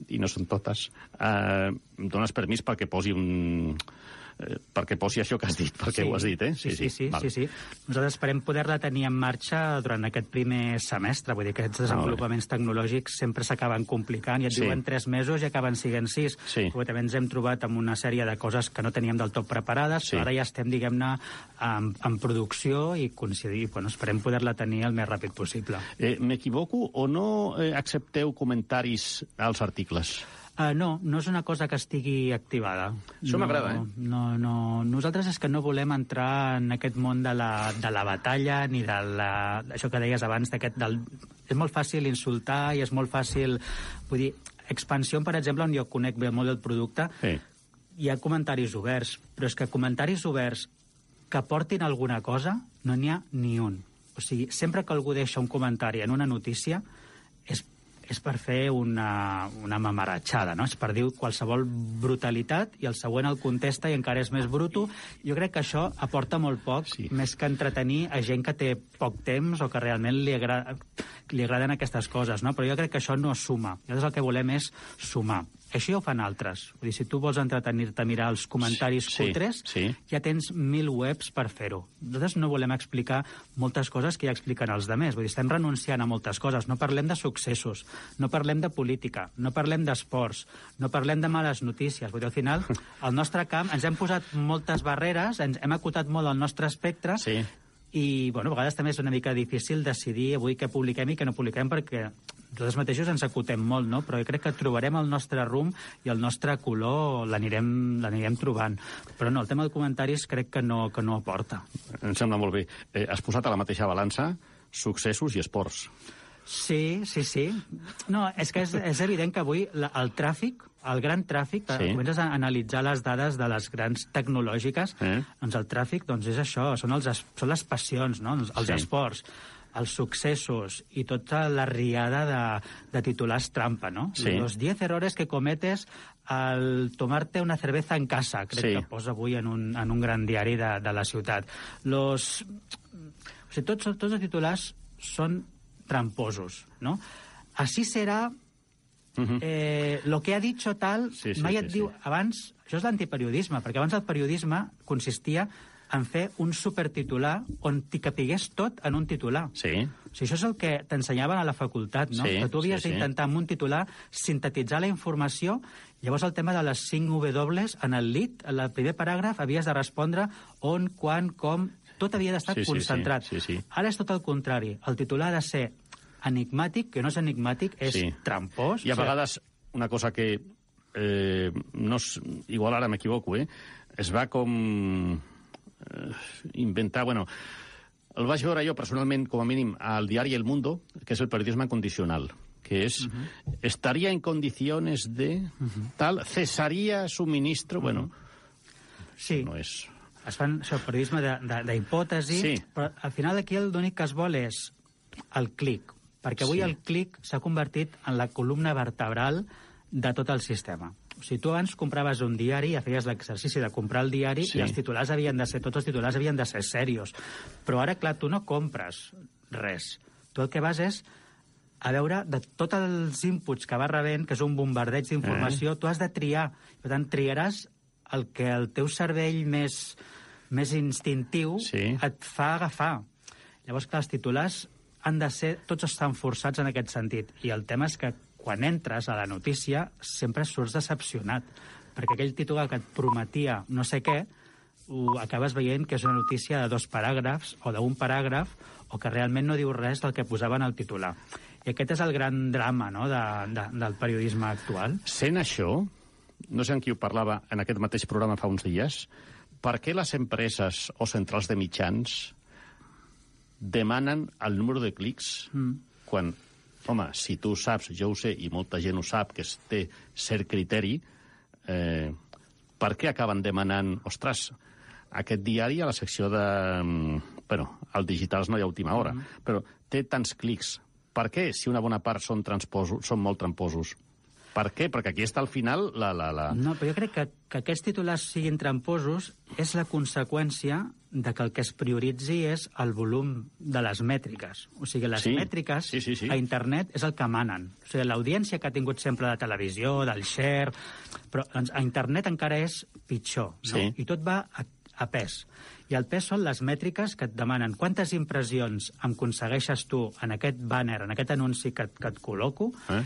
i no són totes. Eh, em dones permís perquè posi un... Eh, perquè posi això que has dit, perquè sí. ho has dit, eh? Sí, sí, sí. sí, sí, sí. Nosaltres esperem poder-la tenir en marxa durant aquest primer semestre. Vull dir que aquests desenvolupaments tecnològics sempre s'acaben complicant i et sí. diuen tres mesos i acaben sent sis. Sí. Perquè també ens hem trobat amb una sèrie de coses que no teníem del tot preparades, sí. però ara ja estem, diguem-ne, en, en producció i coincidir. Bueno, esperem poder-la tenir el més ràpid possible. Eh, M'equivoco o no eh, accepteu comentaris als articles? Uh, no, no és una cosa que estigui activada. Això no, m'agrada, eh? No, no. Nosaltres és que no volem entrar en aquest món de la, de la batalla ni de la, això que deies abans, d'aquest... Del... És molt fàcil insultar i és molt fàcil... Vull dir, Expansió, per exemple, on jo conec bé molt el producte, sí. hi ha comentaris oberts, però és que comentaris oberts que portin alguna cosa no n'hi ha ni un. O sigui, sempre que algú deixa un comentari en una notícia és és per fer una, una mamaratxada, no? És per dir qualsevol brutalitat i el següent el contesta i encara és més bruto. Jo crec que això aporta molt poc, sí. més que entretenir a gent que té poc temps o que realment li, agrada, li agraden aquestes coses, no? Però jo crec que això no suma. Nosaltres el que volem és sumar. Això ja ho fan altres. Vull dir, si tu vols entretenir-te a mirar els comentaris sí, cutres, sí. ja tens mil webs per fer-ho. Nosaltres no volem explicar moltes coses que ja expliquen els demés. Vull dir, estem renunciant a moltes coses. No parlem de successos, no parlem de política, no parlem d'esports, no parlem de males notícies. Vull dir, al final, al nostre camp ens hem posat moltes barreres, ens hem acotat molt el nostre espectre, sí. i, bueno, a vegades també és una mica difícil decidir avui què publiquem i què no publiquem, perquè nosaltres mateixos ens acotem molt, no? Però jo crec que trobarem el nostre rumb i el nostre color l'anirem l'anirem trobant. Però no, el tema de comentaris crec que no, que no aporta. Em sembla molt bé. Eh, has posat a la mateixa balança successos i esports. Sí, sí, sí. No, és que és, és evident que avui la, el tràfic, el gran tràfic, sí. comences a analitzar les dades de les grans tecnològiques, eh? Doncs el tràfic doncs és això, són, els, són les passions, no? els sí. esports, els successos i tota la riada de, de titulars trampa, no? Sí. Los diez errores que cometes al tomarte una cerveza en casa, crec sí. que posa avui en un, en un gran diari de, de la ciutat. Los... O sigui, tots, tots els titulars són tramposos, no? Así será... Uh-huh. Eh, lo que ha dicho tal, sí, sí, mai et sí, diu... Sí. Abans, això és l'antiperiodisme, perquè abans el periodisme consistia en fer un supertitular on t'hi capigués tot en un titular. Sí. O sigui, això és el que t'ensenyaven a la facultat, no? Sí, que tu havies sí, sí. d'intentar amb un titular sintetitzar la informació. Llavors el tema de les cinc W en el lead, en el primer paràgraf, havies de respondre on, quan, com... Tot havia d'estar sí, sí, concentrat. Sí, sí, sí. Ara és tot el contrari. El titular ha de ser enigmàtic, que no és enigmàtic, és sí. trampós. I a vegades una cosa que... Eh, no és, igual ara m'equivoco, eh? Es va com... Eh, inventar... Bueno, el vaig veure jo personalment, com a mínim, al diari El Mundo, que és el periodisme condicional, que és... Uh-huh. Estaria en condiciones de... Uh-huh. Tal, cesaría suministro... Uh-huh. Bueno, sí. No és... Es fan això, periodisme d'hipòtesi, sí. però al final aquí l'únic que es vol és el clic, perquè avui sí. el clic s'ha convertit en la columna vertebral de tot el sistema. O sigui, tu abans compraves un diari, ja feies l'exercici de comprar el diari, Sí. i els titulars havien de ser, tots els titulars havien de ser serios. Però ara, clar, tu no compres res. Tu el que vas és a veure de tots els inputs que vas rebent, que és un bombardeig d'informació, eh? Tu has de triar. Per tant, triaràs el que el teu cervell més, més instintiu Sí. et fa agafar. Llavors, clar, els titulars han de ser... Tots estan forçats en aquest sentit. I el tema és que quan entres a la notícia sempre surts decepcionat, perquè aquell titular que et prometia no sé què, ho acabes veient que és una notícia de dos paràgrafs o d'un paràgraf o que realment no diu res del que posaven al titular. I aquest és el gran drama, no?, de, de, del periodisme actual. Sent això, no sé amb qui ho parlava en aquest mateix programa fa uns dies, per què les empreses o centrals de mitjans demanen el número de clics mm. quan, home, si tu saps, jo ho sé, i molta gent ho sap, que es té cert criteri, eh, per què acaben demanant, ostres, aquest diari a la secció de... Bueno, al Digitals no hi ha última hora, mm. però té tants clics. Per què, si una bona part són, són molt tramposos? Per què? Perquè aquí està al final la... la, la... No, però jo crec que, que aquests titulars siguin tramposos és la conseqüència de que el que es prioritzi és el volum de les mètriques. O sigui, les sí. mètriques sí, sí, sí. a internet és el que manen. O sigui, l'audiència que ha tingut sempre de televisió, del share... Però doncs, a internet encara és pitjor, no? Sí. I tot va a, a pes. I el pes són les mètriques que et demanen quantes impressions em aconsegueixes tu en aquest banner, en aquest anunci que, que et col·loco, eh?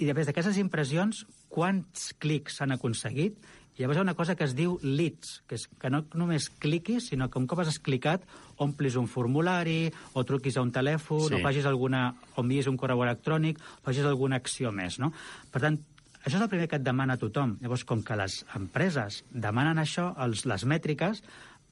I després d'aquestes impressions, quants clics s'han aconseguit. I llavors hi ha una cosa que es diu leads, que és que no només cliquis, sinó que un cop has clicat, omplis un formulari, o truquis a un telèfon, sí. o facis alguna, o envies un correu electrònic, o facis alguna acció més, no? Per tant, això és el primer que et demana tothom. Llavors, com que les empreses demanen això, els, les mètriques,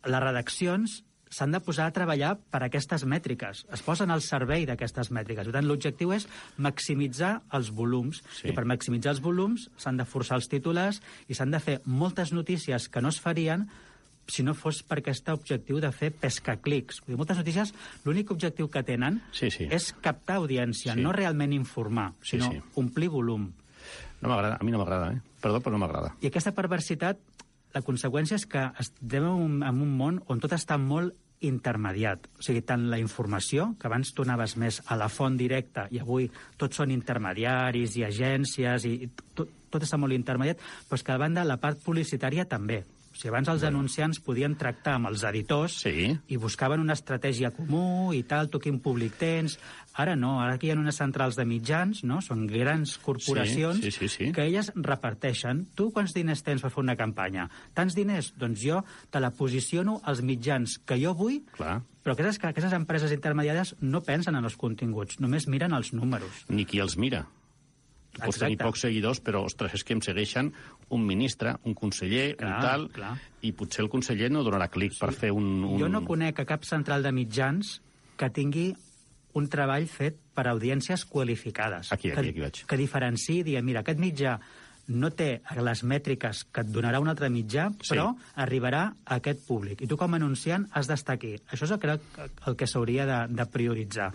les redaccions s'han de posar a treballar per aquestes mètriques. Es posen al servei d'aquestes mètriques. Per tant, l'objectiu és maximitzar els volums. Sí. I per maximitzar els volums s'han de forçar els titulars i s'han de fer moltes notícies que no es farien si no fos per aquest objectiu de fer pescaclics. Vull dir, moltes notícies, l'únic objectiu que tenen sí, sí. és captar audiència, sí. no realment informar, sinó sí, sí. omplir volum. No m'agrada, a mi no m'agrada, eh? Perdó, però no m'agrada. I aquesta perversitat, la conseqüència és que estem en un, en un món on tot està molt intermediat. O sigui, tant la informació, que abans tu anaves més a la font directa i avui tots són intermediaris i agències i tot, tot està molt intermediat, però és que a banda la part publicitària també. O sigui, abans els bueno. anunciants podien tractar amb els editors sí. i buscaven una estratègia comú i tal, tu quin públic tens. Ara no, ara aquí hi ha unes centrals de mitjans, no? Són grans corporacions sí, sí, sí, sí. que elles reparteixen. Tu quants diners tens per fer una campanya? Tants diners? Doncs jo te la posiciono als mitjans que jo vull. Clar. Però aquestes, aquestes empreses intermediàries no pensen en els continguts, només miren els números. Ni qui els mira. Tu pots Exacte. tenir pocs seguidors, però, ostres, és que em segueixen un ministre, un conseller, clar, un tal, clar. i potser el conseller no donarà clic sí. per fer un, un... Jo no conec a cap central de mitjans que tingui un treball fet per audiències qualificades. Aquí, aquí, que, aquí vaig. Que diferenciï i digui, mira, aquest mitjà no té les mètriques que et donarà un altre mitjà, sí. però arribarà a aquest públic. I tu, com a anunciant, has d'estar aquí. Això és el que, el que s'hauria de, de prioritzar.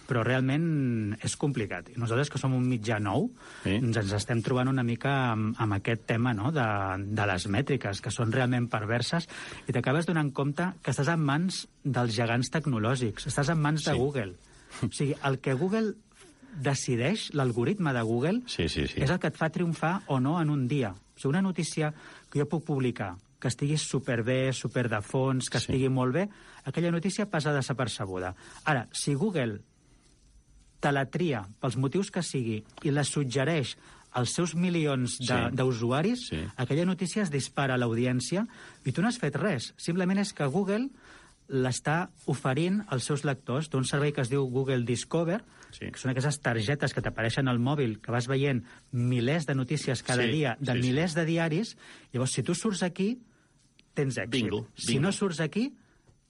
Però realment és complicat. I nosaltres, que som un mitjà nou, sí. ens, ens estem trobant una mica amb, amb aquest tema, no?, de, de les mètriques, que són realment perverses, i t'acabes donant compte que estàs en mans dels gegants tecnològics, estàs en mans de sí. Google. O sigui, el que Google decideix, l'algoritme de Google, sí, sí, sí. és el que et fa triomfar o no en un dia. O sigui, una notícia que jo puc publicar, que estigui superbé, super de fons, que sí. estigui molt bé, aquella notícia passa desapercebuda. Ara, si Google te la tria pels motius que sigui i la suggereix als seus milions d'usuaris, sí. sí. aquella notícia es dispara a l'audiència i tu no has fet res. Simplement és que Google l'està oferint als seus lectors d'un servei que es diu Google Discover, sí. que són aquestes targetes que t'apareixen al mòbil, que vas veient milers de notícies cada sí. dia, de sí, milers sí. de diaris. Llavors, si tu surts aquí, tens èxit. Bingo, bingo. Si no surts aquí,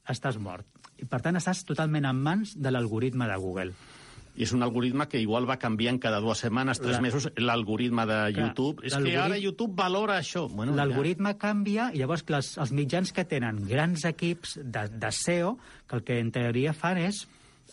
estàs mort. I, per tant, estàs totalment en mans de l'algoritme de Google. I és un algoritme que igual va canviant cada dues setmanes, tres la... mesos, l'algoritme de clar, YouTube. És que ara YouTube valora això. Bueno, l'algoritme ja... canvia, i llavors que els, els mitjans que tenen grans equips de, de S E O, que el que en teoria fan és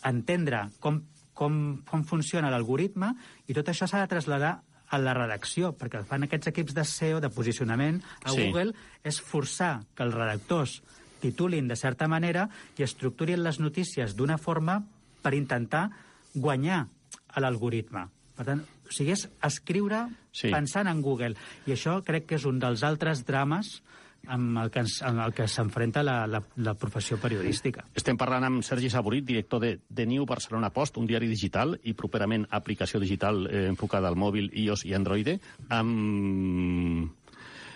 entendre com, com, com funciona l'algoritme, i tot això s'ha de traslladar a la redacció, perquè el fan aquests equips de S E O, de posicionament, a Sí. Google, és forçar que els redactors titulin de certa manera i estructurin les notícies d'una forma per intentar guanyar a l'algoritme. Per tant, o sigui, és escriure Sí. pensant en Google. I això crec que és un dels altres drames amb el que, ens, amb el que s'enfrenta la, la, la professió periodística. Estem parlant amb Sergi Saborit, director de The New Barcelona Post, un diari digital i properament aplicació digital eh, enfocada al mòbil, iOS i Android. Amb...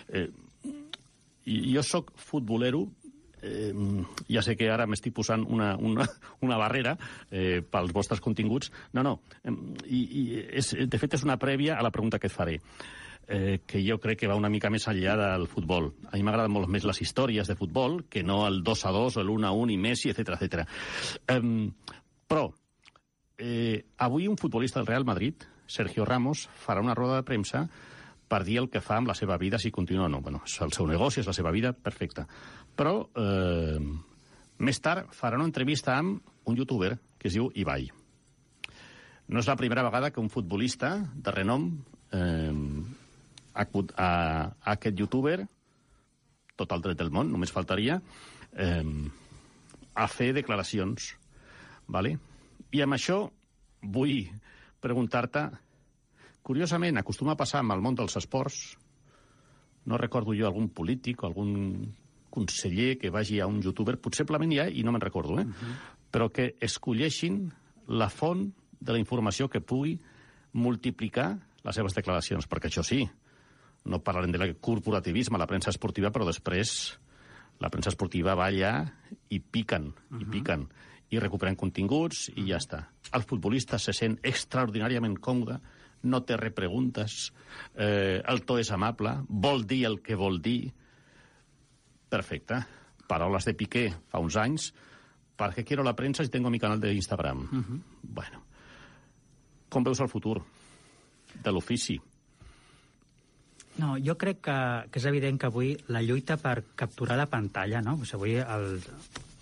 Eh, jo sóc futbolero, eh, ja sé que ara m'estic posant una, una, una barrera eh, pels vostres continguts. No, no, eh, i, i és, de fet és una prèvia a la pregunta que et faré. Eh, que jo crec que va una mica més enllà del futbol. A mi m'agraden molt més les històries de futbol que no el dos a dos o l'un a un i Messi, etcètera, etcètera. Eh, però, eh, avui un futbolista del Real Madrid, Sergio Ramos, farà una roda de premsa per dir el que fa amb la seva vida, si continua o no. Bueno, és el seu negoci, és la seva vida, perfecte. Però, eh, més tard, farà una entrevista amb un youtuber que es diu Ibai. No és la primera vegada que un futbolista de renom eh, a, a, a aquest youtuber, tot el dret del món, només faltaria, eh, a fer declaracions. Vale? I amb això vull preguntar-te, curiosament, acostuma a passar amb el món dels esports, no recordo jo algun polític o algun conseller que vagi a un youtuber, possiblement hi ha, i no me'n recordo, eh? Uh-huh. Però que escolleixin la font de la informació que pugui multiplicar les seves declaracions, perquè això sí, no parlarem de corporativisme a la premsa esportiva, però després la premsa esportiva va allà i piquen, uh-huh. i piquen, i recuperen continguts i ja està. El futbolista se sent extraordinàriament còmode, no té repreguntes, eh, el to és amable, vol dir el que vol dir. Perfecte. Paraules de Piqué fa uns anys, ¿para qué quiero la prensa si tengo mi canal de Instagram? Uh-huh. Bueno, com veus el futur de l'ofici? No, jo crec que, que és evident que avui la lluita per capturar la pantalla, no? Pues avui el,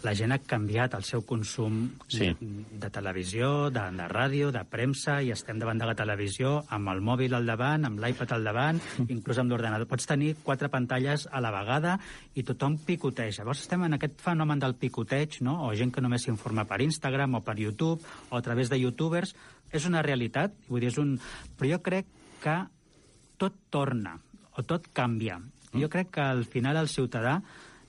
la gent ha canviat el seu consum sí. de, de televisió, de, de ràdio, de premsa, i estem davant de la televisió amb el mòbil al davant, amb l'iPad al davant, inclús amb l'ordenador. Pots tenir quatre pantalles a la vegada i tothom picoteja. Llavors estem en aquest fenomen del picoteig, no? O gent que només s'informa per Instagram o per YouTube o a través de youtubers. És una realitat, vull dir, és un... però jo crec que tot torna, o tot canvia. Mm. Jo crec que al final el ciutadà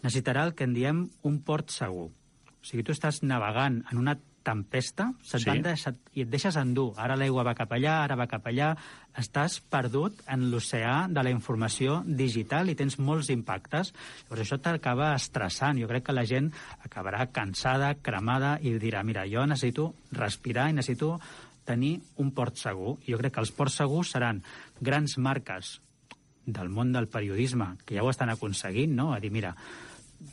necessitarà el que en diem un port segur. O sigui, tu estàs navegant en una tempesta, se't sí. van deixar, i et deixes endur. Ara l'aigua va cap allà, ara va cap allà. Estàs perdut en l'oceà de la informació digital i tens molts impactes. Llavors això t'acaba estressant. Jo crec que la gent acabarà cansada, cremada, i dirà, mira, jo necessito respirar i necessito tenir un port segur. I jo crec que els ports segurs seran grans marques del món del periodisme, que ja ho estan aconseguint, no? A dir, mira,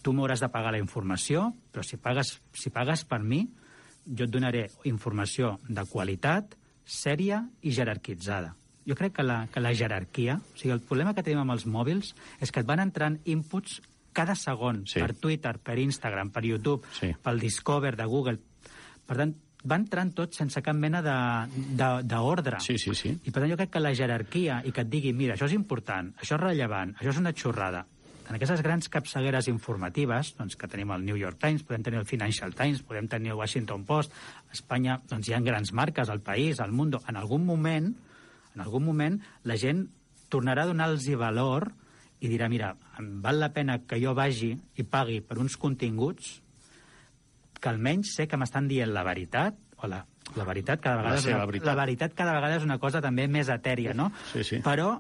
tu m'hauràs de pagar la informació, però si pagues, si pagues per mi, jo et donaré informació de qualitat, sèria i jerarquitzada. Jo crec que la, que la jerarquia... O sigui, el problema que tenim amb els mòbils és que et van entrant inputs cada segon, sí. per Twitter, per Instagram, per YouTube, sí. pel Discover de Google. Per tant, va entrant tot sense cap mena d'ordre. Sí, sí, sí. I per tant jo crec que la jerarquia i que et digui, mira, això és important, això és rellevant, això és una xorrada. En aquestes grans capçaleres informatives, doncs, que tenim el New York Times, podem tenir el Financial Times, podem tenir el Washington Post, a Espanya doncs, hi ha grans marques, al País, al Mundo. En algun moment, en algun moment, la gent tornarà a donar-los valor i dirà, mira, em val la pena que jo vagi i pagui per uns continguts que almenys sé que m'estan dient la veritat, o la, la veritat cada vegada La és una, seva veritat. la veritat cada vegada és una cosa també més etèria, no? Sí, sí. Però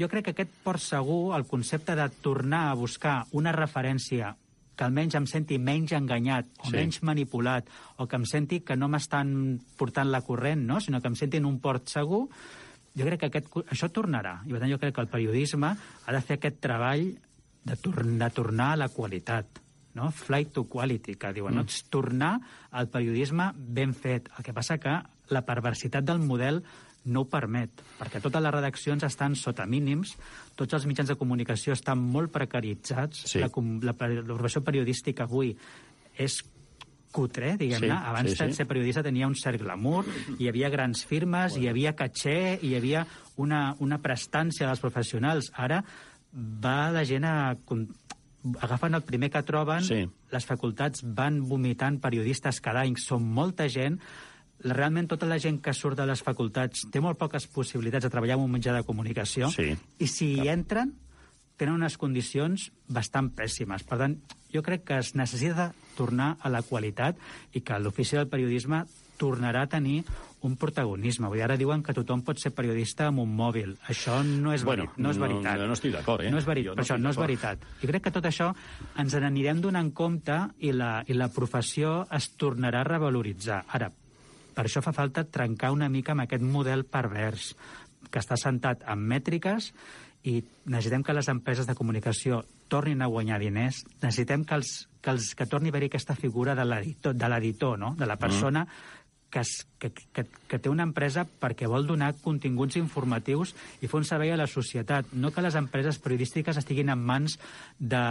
jo crec que aquest port segur, el concepte de tornar a buscar una referència que almenys em senti menys enganyat o sí. menys manipulat, o que em senti que no m'estan portant la corrent, no? Sinó que em senti en un port segur, jo crec que aquest, això tornarà. I per tant jo crec que el periodisme ha de fer aquest treball de, tor de tornar a la qualitat. No? Flight to quality, que diuen, mm. no? Tornar al periodisme ben fet. El que passa que la perversitat del model no ho permet, perquè totes les redaccions estan sota mínims, tots els mitjans de comunicació estan molt precaritzats, sí. la, la, la professió periodística avui és cutre, diguem-ne. Sí, Abans sí, sí. ser periodista tenia un cert glamour, hi havia grans firmes, bueno. hi havia caché, hi havia una, una prestància dels professionals. Ara va la gent a... agafen el primer que troben, sí. Les facultats van vomitant periodistes cada any, són molta gent. Realment tota la gent que surt de les facultats té molt poques possibilitats de treballar en un mitjà de comunicació, sí. I si hi entren tenen unes condicions bastant pèssimes. Per tant, jo crec que es necessita tornar a la qualitat i que l'ofici del periodisme tornarà a tenir un protagonisme. Vull dir, ara diuen que tothom pot ser periodista amb un mòbil. Això no és, bueno, veri no és veritat. No, no estic d'acord, eh? No és, veri no això, no és veritat. Jo crec que tot això ens n'anirem donant compte i la, i la professió es tornarà a revaloritzar. Ara, per això fa falta trencar una mica amb aquest model pervers que està sentat en mètriques i necessitem que les empreses de comunicació tornin a guanyar diners, necessitem que, els, que, els, que torni a haver-hi aquesta figura de l'editor, no? De la persona mm. que, es, que, que, que té una empresa perquè vol donar continguts informatius i fer un servei a la societat, no que les empreses periodístiques estiguin en mans de...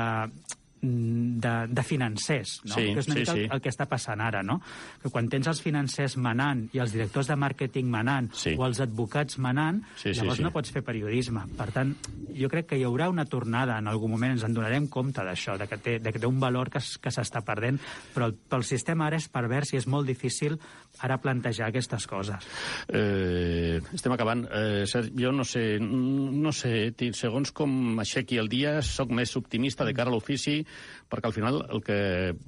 De, de financers, no? Sí, que és una sí, mica el, sí. el que està passant ara, no? Que quan tens els financers manant i els directors de màrqueting manant sí. o els advocats manant, sí, llavors sí, sí. no pots fer periodisme. Per tant, jo crec que hi haurà una tornada en algun moment, ens en donarem compte d'això, de, que té, de que té un valor que, que s'està perdent, però el, però el sistema ara és pervers i és molt difícil ara plantejar aquestes coses. Eh, estem acabant. Eh, jo no sé, no sé, segons com aixequi el dia, sóc més optimista de cara a l'ofici, perquè al final el que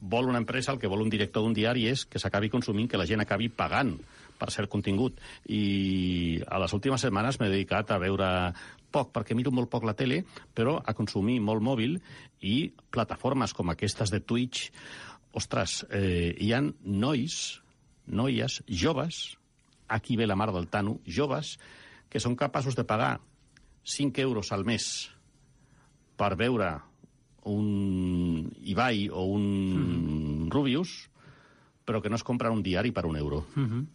vol una empresa, el que vol un director d'un diari és que s'acabi consumint, que la gent acabi pagant per cert contingut. I a les últimes setmanes m'he dedicat a veure poc, perquè miro molt poc la tele, però a consumir molt mòbil i plataformes com aquestes de Twitch. Ostres, eh, hi ha nois, noies, joves, aquí ve la mar del Tano, joves, que són capaços de pagar cinc euros al mes per veure un Ibai o un mm. Rubius, però que no es compren un diari per un euro. Mm-hmm.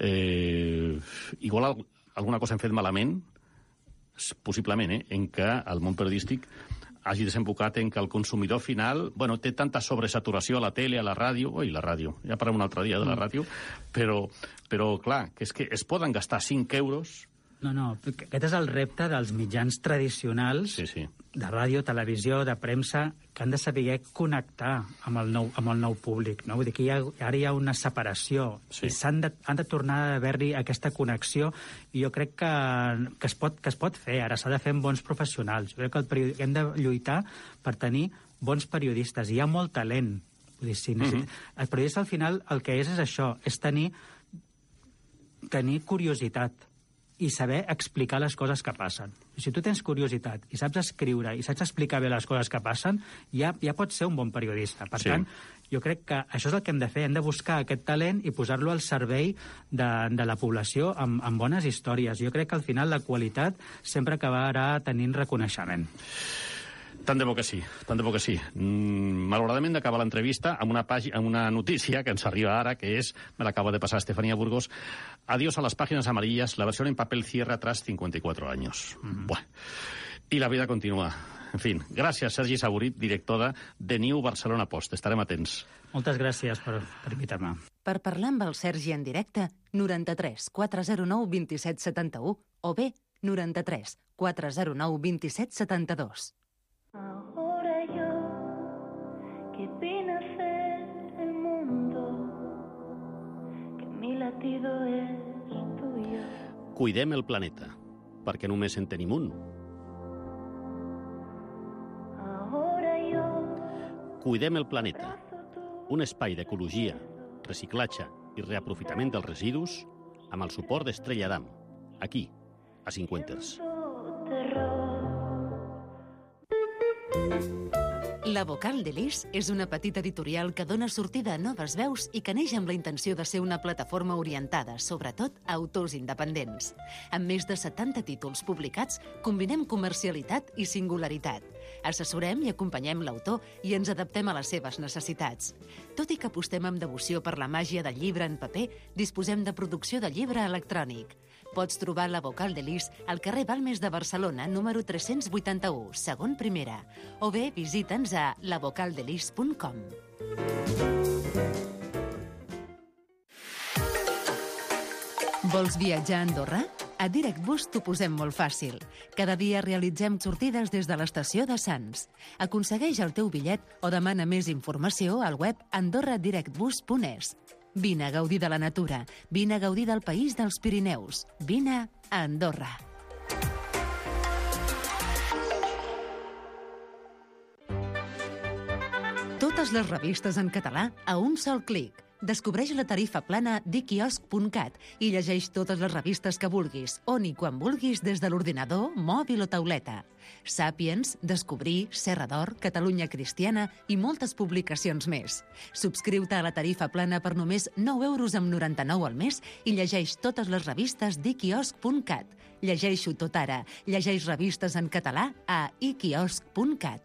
eh, igual alguna cosa hem fet malament, possiblement, eh, en què el món periodístic hagi desembocat en que el consumidor final, bueno, té tanta sobresaturació a la tele, a la ràdio, oi, la ràdio, ja parlem un altre dia de la ràdio, però, però clar, que és que es poden gastar cinc euros. No, no, aquest és el repte dels mitjans tradicionals, sí, sí. de ràdio, televisió, de premsa, que han de saber connectar amb el nou, amb el nou públic. No? Vull dir que hi ha, ara hi ha una separació, sí. i s'han de, han de tornar a haver-hi aquesta connexió, i jo crec que, que, es pot, que es pot fer, ara s'ha de fer amb bons professionals. Jo crec que el periodi... hem de lluitar per tenir bons periodistes, i hi ha molt talent. Vull dir, si necessit... mm-hmm. El periodista, al final, el que és és això, és tenir, tenir curiositat, i saber explicar les coses que passen. Si tu tens curiositat i saps escriure i saps explicar bé les coses que passen, ja, ja pots ser un bon periodista. Per sí. tant, jo crec que això és el que hem de fer. Hem de buscar aquest talent i posar-lo al servei de, de la població amb, amb bones històries. Jo crec que al final la qualitat sempre acabarà tenint reconeixement. Tant de bo que sí, tant de bo que sí. Mm, malauradament d'acaba l'entrevista amb una, pàgina, amb una notícia que ens arriba ara, que és, me l'acaba de passar Estefanía Burgos, adiós a las páginas amarillas, la versión en papel cierra tras cincuenta y cuatro años. Mm-hmm. Bueno, y la vida continua. En fin, gràcies, Sergi Saborit, director de The New Barcelona Post. Estarem atents. Moltes gràcies per, per invitar-me. Per parlar amb el Sergi en directe, noranta-tres quatre zero nou vint set setanta-u o bé noranta-tres quatre zero nou vint set setanta-dos. Ahora yo, que vine a hacer el mundo, que mi latido es tuyo. Cuidem el planeta, perquè només en tenim un. Ahora yo, Cuidem el planeta, un espai d'ecologia, reciclatge i reaprofitament dels residus amb el suport d'Estrella Damm, aquí, a Cinquenters. La Vocal de l'Is és una petita editorial que dona sortida a noves veus i que neix amb la intenció de ser una plataforma orientada, sobretot, a autors independents. Amb més de setanta títols publicats, combinem comercialitat i singularitat. Assessorem i acompanyem l'autor i ens adaptem a les seves necessitats. Tot i que apostem amb devoció per la màgia del llibre en paper, disposem de producció de llibre electrònic. Pots trobar la Vocal de l'Is al carrer Balmes de Barcelona, número tres-cents vuitanta-u, segon primera, o bé visita'ns a la vocal de lis punt com. Vols viatjar a Andorra? A DirectBus t'ho posem molt fàcil. Cada dia realitzem sortides des de l'estació de Sants. Aconsegueix el teu bitllet o demana més informació al web andorra direct bus punt es. Vine a gaudir de la natura. Vine a gaudir del país dels Pirineus. Vine a Andorra. Totes les revistes en català a un sol clic. Descobreix la tarifa plana d'iquiosc punt cat i llegeix totes les revistes que vulguis, on i quan vulguis des de l'ordinador, mòbil o tauleta. Sàpiens, Descobrir, Serra d'Or, Catalunya Cristiana i moltes publicacions més. Subscriu-te a la tarifa plana per només nou euros amb noranta-nou al mes i llegeix totes les revistes d'iquiosc punt cat. Llegeixo tot ara. Llegeix revistes en català a iquiosc punt cat.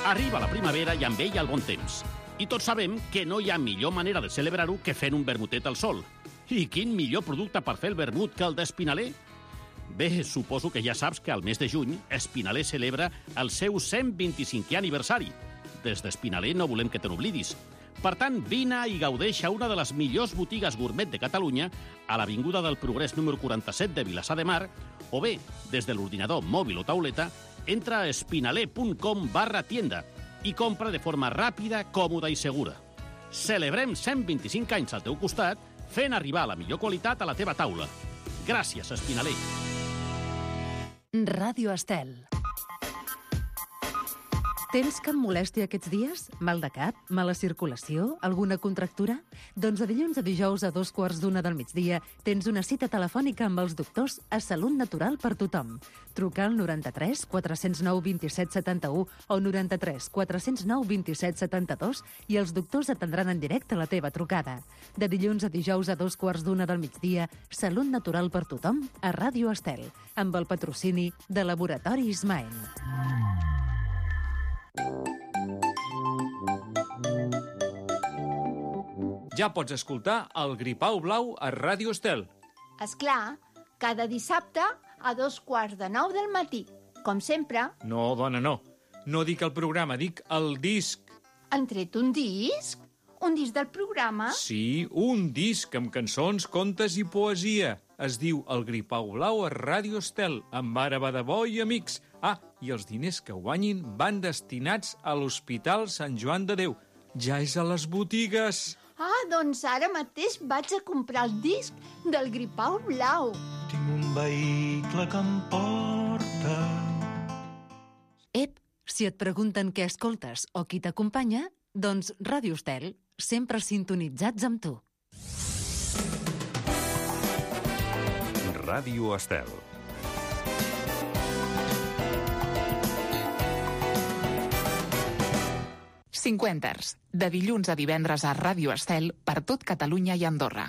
Arriba la primavera i amb ella el bon temps. I tots sabem que no hi ha millor manera de celebrar-ho que fent un vermutet al sol. I quin millor producte per fer el vermut que el d'Espinaler? Bé, suposo que ja saps que al mes de juny Espinaler celebra el seu cent vint-i-cinquè aniversari. Des d'Espinaler no volem que te n'oblidis. Per tant, vine i gaudeix a una de les millors botigues gourmet de Catalunya, a l'Avinguda del Progrés número quaranta-set de Vilassar de Mar, o bé, des de l'ordinador mòbil o tauleta, entra a espinaler punt com barra tienda i compra de forma ràpida, còmoda i segura. Celebrem cent vint-i-cinc anys al teu costat, fent arribar la millor qualitat a la teva taula. Gràcies, Espinaler. Ràdio Estel. Tens cap molèstia aquests dies? Mal de cap? Mala circulació? Alguna contractura? Doncs de dilluns a dijous a dos quarts d'una del migdia tens una cita telefònica amb els doctors a Salut Natural per tothom. Truca al noranta-tres quatre zero nou vint-i-set setanta-u o noranta-tres quatre zero nou vint-i-set setanta-dos i els doctors atendran en directe la teva trucada. De dilluns a dijous a dos quarts d'una del migdia, Salut Natural per tothom a Ràdio Estel, amb el patrocini de Laboratori Ismael. Ja pots escoltar el Gripau Blau a Ràdio Estel. És clar, cada dissabte a dos quarts de nou del matí. Com sempre. No, dona, no. No dic el programa, dic el disc. Han tret un disc? Un disc del programa? Sí, un disc amb cançons, contes i poesia. Es diu El Gripau Blau a Ràdio Estel, amb Mare Badabó i amics. Ah, i els diners que guanyin van destinats a l'Hospital Sant Joan de Déu. Ja és a les botigues. Ah, doncs ara mateix vaig a comprar el disc del Gripau Blau. Tinc un vehicle que em porta... Ep, si et pregunten què escoltes o qui t'acompanya, doncs Ràdio Estel, sempre sintonitzats amb tu. Ràdio Estel. Cinquenters, de dilluns a divendres a Ràdio Estel per tot Catalunya i Andorra.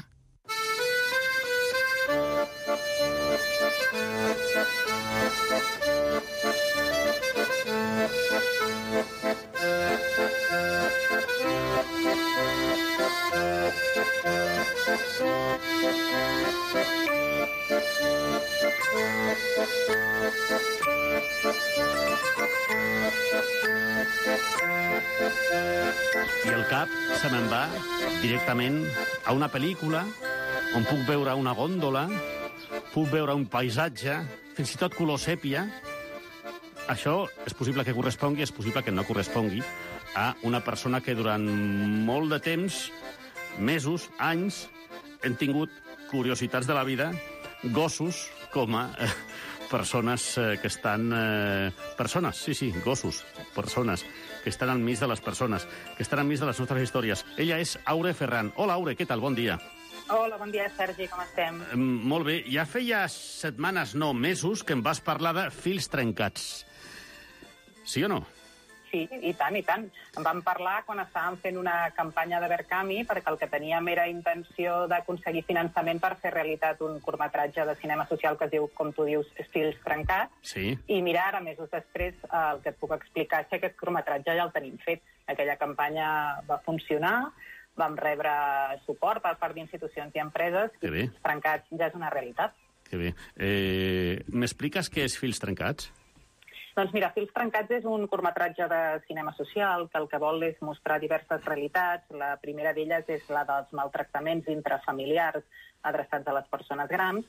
I el cap se me'n va directament a una pel·lícula on puc veure una gòndola, puc veure un paisatge, fins i tot color sèpia. Això és possible que correspongui, és possible que no correspongui a una persona que durant molt de temps, mesos, anys, hem tingut curiositats de la vida, gossos com a eh, persones eh, que estan... Eh, persones, sí, sí, gossos, persones que estan enmig de les persones, que estan enmig de les nostres històries. Ella és Aure Ferran. Hola, Aure, què tal? Bon dia. Hola, bon dia, Sergi, com estem? Eh, molt bé. Ja feia setmanes, no, mesos, que em vas parlar de fils trencats. Sí o no? Sí, i tant, i tant. En vam parlar quan estàvem fent una campanya de Verkami perquè el que teníem era intenció d'aconseguir finançament per fer realitat un curtmetratge de cinema social que es diu, com tu dius, Fils trencats. Sí. I mira, ara, mesos després, el que et puc explicar és que aquest curtmetratge ja el tenim fet. Aquella campanya va funcionar, vam rebre suport per part d'institucions i empreses que i Fils trencats ja és una realitat. Que bé. Eh, M'expliques què és Fils trencats? Doncs mira, Fils trencats és un curtmetratge de cinema social que el que vol és mostrar diverses realitats. La primera d'elles és la dels maltractaments intrafamiliars adreçats a les persones grans.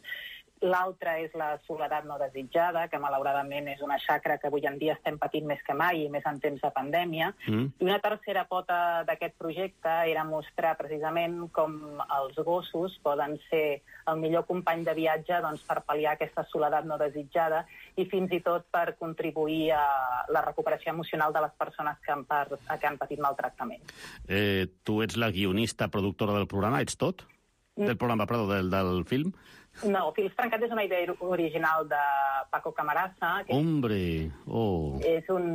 L'altra és la soledat no desitjada, que malauradament és una xacra que avui en dia estem patint més que mai, i més en temps de pandèmia. Mm. I una tercera pota d'aquest projecte era mostrar precisament com els gossos poden ser el millor company de viatge doncs, per pal·liar aquesta soledat no desitjada i fins i tot per contribuir a la recuperació emocional de les persones que han, per, que han patit maltractament. Eh, tu ets la guionista, productora del programa, ets tot? Mm. Del programa, perdó, del, del film? No, Fils trencats és una idea original de Paco Camarasa. Que Hombre, oh. És un,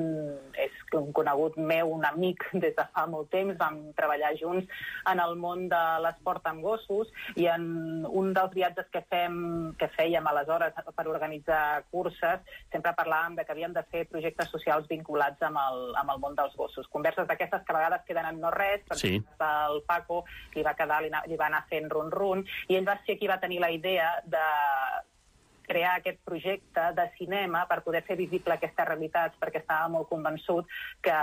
és un conegut meu, un amic des de fa molt temps. Vam treballar junts en el món de l'esport amb gossos i en un dels viatges que, fem, que fèiem aleshores per organitzar curses sempre parlàvem de que havíem de fer projectes socials vinculats amb el, amb el món dels gossos. Converses d'aquestes que a vegades queden en no res, perquè sí. El Paco li va quedar, li, li va anar fent run-run, i ell va ser qui va tenir la idea de crear aquest projecte de cinema per poder fer visible aquestes realitats, perquè estava molt convençut que,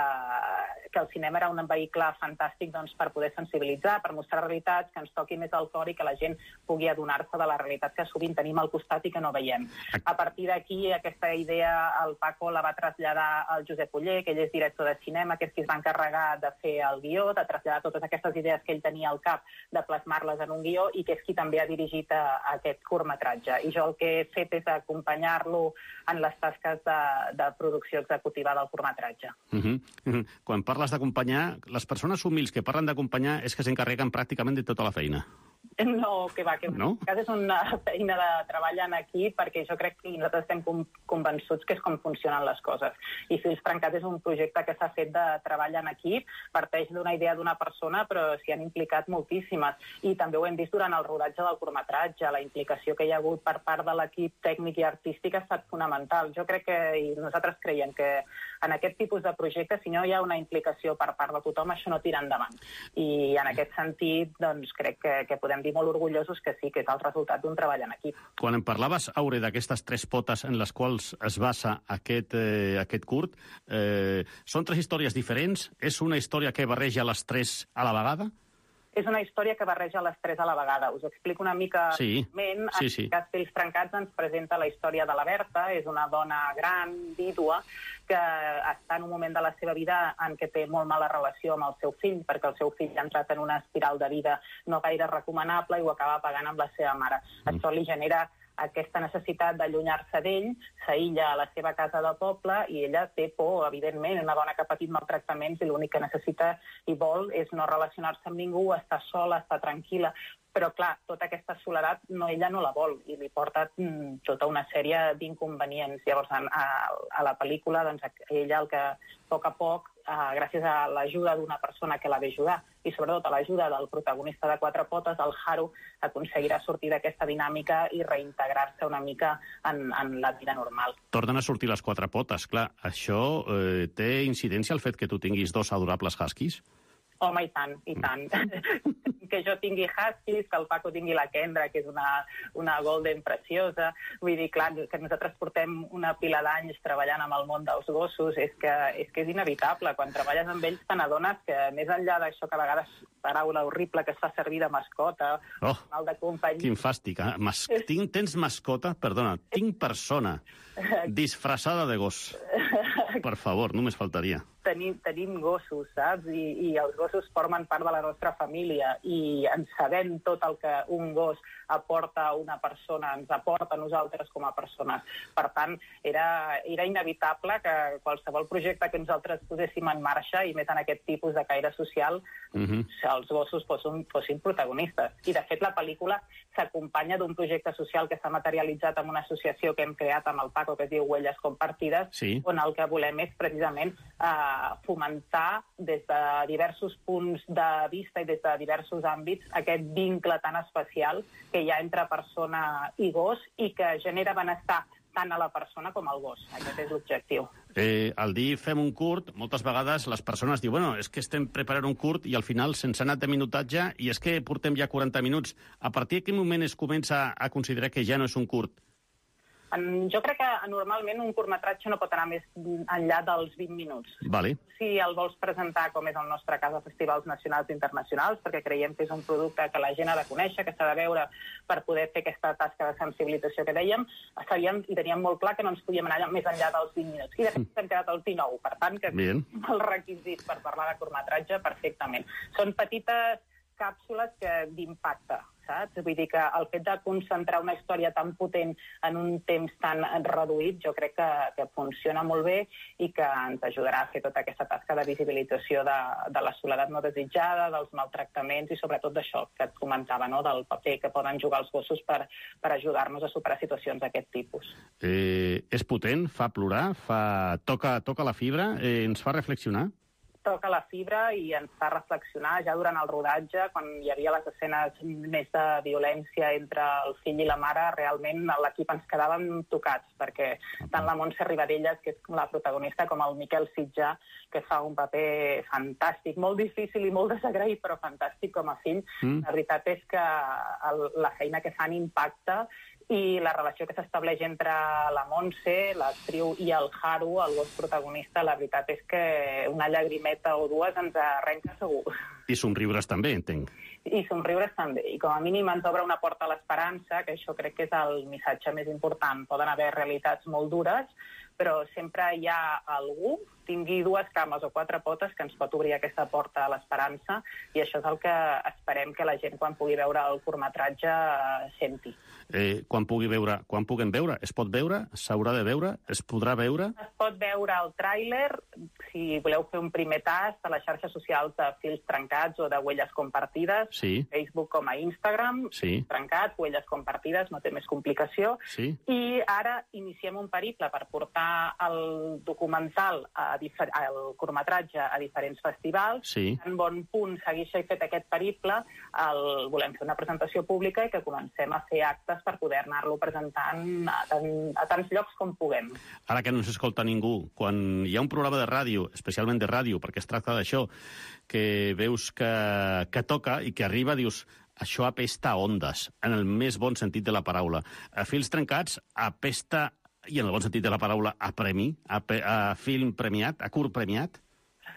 que el cinema era un vehicle fantàstic doncs, per poder sensibilitzar, per mostrar realitats que ens toqui més al cor i que la gent pugui adonar-se de la realitat que sovint tenim al costat i que no veiem. A partir d'aquí, aquesta idea el Paco la va traslladar al Josep Oller, que ell és director de cinema, que és qui es va encarregar de fer el guió, de traslladar totes aquestes idees que ell tenia al cap, de plasmar-les en un guió, i que és qui també ha dirigit a, a aquest curtmetratge. I jo el que he fet és acompanyar-lo en les tasques de, de producció executiva del curtmetratge. Uh -huh. Uh -huh. Quan parles d'acompanyar, les persones humils que parlen d'acompanyar és que s'encarreguen pràcticament de tota la feina. No, que va, que va. No? És una feina de treball en equip, perquè jo crec que nosaltres estem convençuts que és com funcionen les coses. I Fils trencats és un projecte que s'ha fet de treball en equip, parteix d'una idea d'una persona, però s'hi han implicat moltíssimes. I també ho hem vist durant el rodatge del curtmetratge. La implicació que hi ha hagut per part de l'equip tècnic i artístic ha estat fonamental. Jo crec que, i nosaltres creiem que en aquest tipus de projectes, si no hi ha una implicació per part de tothom, això no tira endavant. I en aquest sentit, doncs, crec que, que podem dir molt orgullosos que sí, que és el resultat d'un treball en equip. Quan em parlaves, Aure, d'aquestes tres potes en les quals es basa aquest, eh, aquest curt, eh, són tres històries diferents? És una història que barreja les tres a la vegada? És una història que barreja les tres a la vegada. Us explico una mica... Sí, en sí, sí. En cas Fils trencats ens presenta la història de la Berta. És una dona gran, vídua, que està en un moment de la seva vida en què té molt mala relació amb el seu fill, perquè el seu fill ha entrat en una espiral de vida no gaire recomanable i ho acaba pagant amb la seva mare. Mm. Això li genera aquesta necessitat d'allunyar-se d'ell, s'aïlla a la seva casa de poble i ella té por, evidentment, una dona que ha patit maltractaments i l'únic que necessita i vol és no relacionar-se amb ningú, estar sola, estar tranquil·la. Però, clar, tota aquesta soledat no, ella no la vol i li porta mm, tota una sèrie d'inconvenients. Llavors, a, a la pel·lícula, doncs, ella el que, a poc a poc, eh, gràcies a l'ajuda d'una persona que la ve ajudar i, sobretot, a l'ajuda del protagonista de Quatre Potes, el Haru, aconseguirà sortir d'aquesta dinàmica i reintegrar-se una mica en, en la vida normal. Tornen a sortir les quatre potes, clar. Això eh, té incidència el fet que tu tinguis dos adorables huskies? Home, i tant, i tant. Que jo tingui huskies, que el Paco tingui la Kendra, que és una, una golden preciosa. Vull dir, clar, que nosaltres portem una pila d'anys treballant amb el món dels gossos, és que és, que és inevitable. Quan treballes amb ells te n'adones que, més enllà d'això que a vegades paraula horrible que es fa servir de mascota, oh, mal de companyia... Quin fàstic, eh? Mas... Tinc, tens mascota? Perdona, tinc persona disfressada de gos. Per favor, només faltaria. Tenim, tenim gossos, saps? I, I els gossos formen part de la nostra família i ens sabem tot el que un gos aporta a una persona, ens aporta a nosaltres com a persones. Per tant, era, era inevitable que qualsevol projecte que nosaltres poséssim en marxa, i més en aquest tipus de caire social, uh-huh. els gossos fossin, fossin protagonistes. I, de fet, la pel·lícula s'acompanya d'un projecte social que s'ha materialitzat en una associació que hem creat amb el Paco, que es diu Huelles Compartides, sí. on el que volem és precisament eh, fomentar des de diversos punts de vista i des de diversos àmbits aquest vincle tan especial que hi ha entre persona i gos i que genera benestar tant a la persona com al gos. Aquest és l'objectiu. Eh, al dir fem un curt, moltes vegades les persones diuen bueno, és que estem preparant un curt i al final se'ns ha anat de minutatge i és que portem ja quaranta minuts. A partir de quin moment es comença a considerar que ja no és un curt? En, jo crec que normalment un curtmetratge no pot anar més enllà dels vint minuts. Vale. Si el vols presentar, com és el nostre cas, a festivals nacionals i internacionals, perquè creiem que és un producte que la gent ha de conèixer, que s'ha de veure per poder fer aquesta tasca de sensibilització que dèiem, sabíem i teníem molt clar que no ens podíem anar més enllà dels vint minuts. I de fet hem quedat als dinou, per tant, que Bien. el requisit per parlar de curtmetratge perfectament. Són petites càpsules que d'impacte, saps? Vull dir que el fet de concentrar una història tan potent en un temps tan reduït jo crec que, que funciona molt bé i que ens ajudarà a fer tota aquesta tasca de visibilització de, de la soledat no desitjada, dels maltractaments i sobretot d'això que et comentava, no? Del paper que poden jugar els gossos per, per ajudar-nos a superar situacions d'aquest tipus. Eh, és potent, fa plorar, fa... Toca, toca la fibra, eh, ens fa reflexionar? Toca la fibra i ens fa reflexionar ja durant el rodatge, quan hi havia les escenes més de violència entre el fill i la mare, realment l'equip ens quedàvem tocats, perquè tant la Montse Ribadellas, que és la protagonista, com el Miquel Sitjà, que fa un paper fantàstic, molt difícil i molt desagraït, però fantàstic com a fill. Mm. La veritat és que el, la feina que fan impacta i la relació que s'estableix entre la Montse, l'actriu, i el Haru, el gos protagonista, la veritat és que una llagrimeta o dues ens arrenca segur. I somriures també, entenc. I somriures també. I com a mínim ens obre una porta a l'esperança, que això crec que és el missatge més important. Poden haver realitats molt dures, però sempre hi ha algú, tingui dues cames o quatre potes, que ens pot obrir aquesta porta a l'esperança, i això és el que esperem que la gent, quan pugui veure el curtmetratge, senti. Eh, quan pugui veure, quan puguem veure? Es pot veure? S'haurà de veure? Es podrà veure? Es pot veure el tràiler, si voleu fer un primer tast, a les xarxes socials de Fils Trencats o de Huelles Compartides, sí. Facebook com a Instagram, sí. Trencats, Huelles Compartides, no té més complicació. Sí. I ara iniciem un periple per portar el documental, a difer el curtmetratge, a diferents festivals. Sí. En bon punt segueix fet aquest periple, el, volem fer una presentació pública i que comencem a fer actes per poder anar-lo presentant a, tan, a tants llocs com puguem. Ara que no s'escolta ningú, quan hi ha un programa de ràdio, especialment de ràdio, perquè es tracta d'això, que veus que, que toca i que arriba, dius, això apesta a ondes, en el més bon sentit de la paraula. A Fils Trencats apesta, i en el bon sentit de la paraula, a premi, a, a film premiat, a curt premiat?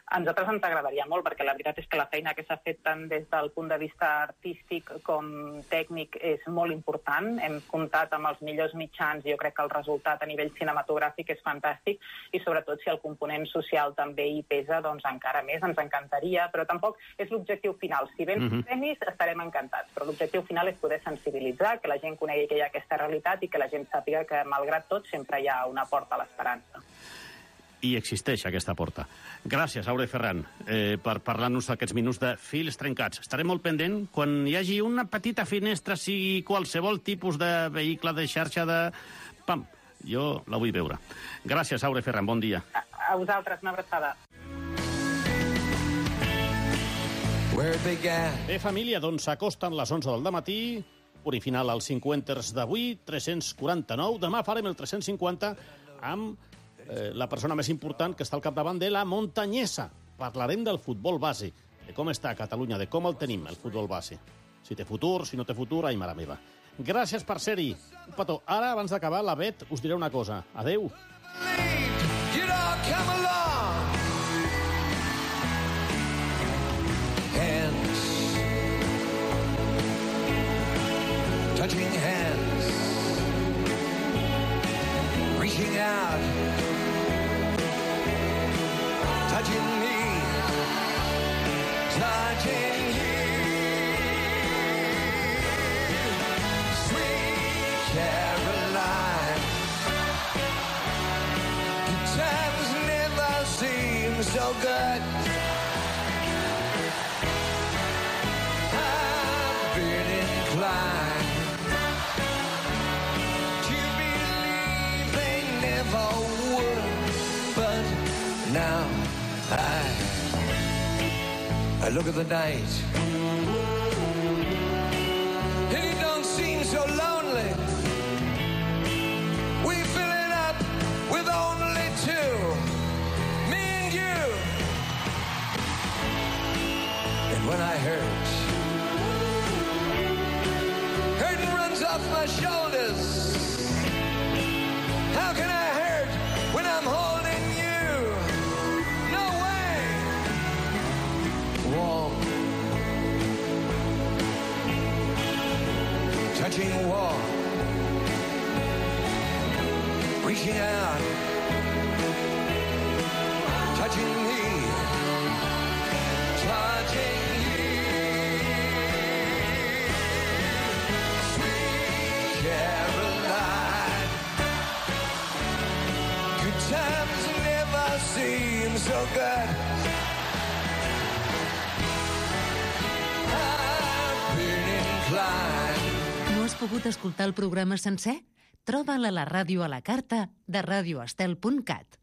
A nosaltres ens agradaria molt, perquè la veritat és que la feina que s'ha fet tant des del punt de vista artístic com tècnic és molt important. Hem comptat amb els millors mitjans i jo crec que el resultat a nivell cinematogràfic és fantàstic i sobretot si el component social també hi pesa, doncs encara més, ens encantaria, però tampoc és l'objectiu final. Si venen uh-huh. premis estarem encantats, però l'objectiu final és poder sensibilitzar, que la gent conegui que hi ha aquesta realitat i que la gent sàpiga que, malgrat tot, sempre hi ha una porta a l'esperança. I existeix aquesta porta. Gràcies, Aure Ferran, eh, per parlar-nos d'aquests minuts de Fils Trencats. Estaré molt pendent quan hi hagi una petita finestra, sigui qualsevol tipus de vehicle de xarxa de... Pam, jo la vull veure. Gràcies, Aure Ferran, bon dia. A, a vosaltres, una abraçada. Bé, família, doncs s'acosten les onze del dematí, punt i final als cinquanters d'avui, tres-cents quaranta-nou. Demà farem el tres-cents cinquanta amb eh, la persona més important que està al capdavant de la muntanyesa. Parlarem del futbol base, de com està a Catalunya, de com el tenim, el futbol base. Si té futur, si no té futur, ai, mare meva. Gràcies per ser-hi. Un petó. Ara, abans d'acabar, la Bet us diré una cosa. Adeu. Hands, touching hands, reaching out, touching me, touching you. Sweet Caroline, times never seem so good. To believe they never would, but now I, I look at the night and it don't seem so lonely. We fill it up with only two, me and you. And when I hurt, off my shoulders, waging war, reaching out, touching me, touching you. Sweet Caroline, good times never seem so good. No has pogut escoltar el programa sencer? Troba'l a la ràdio a la carta de radio estel punt cat.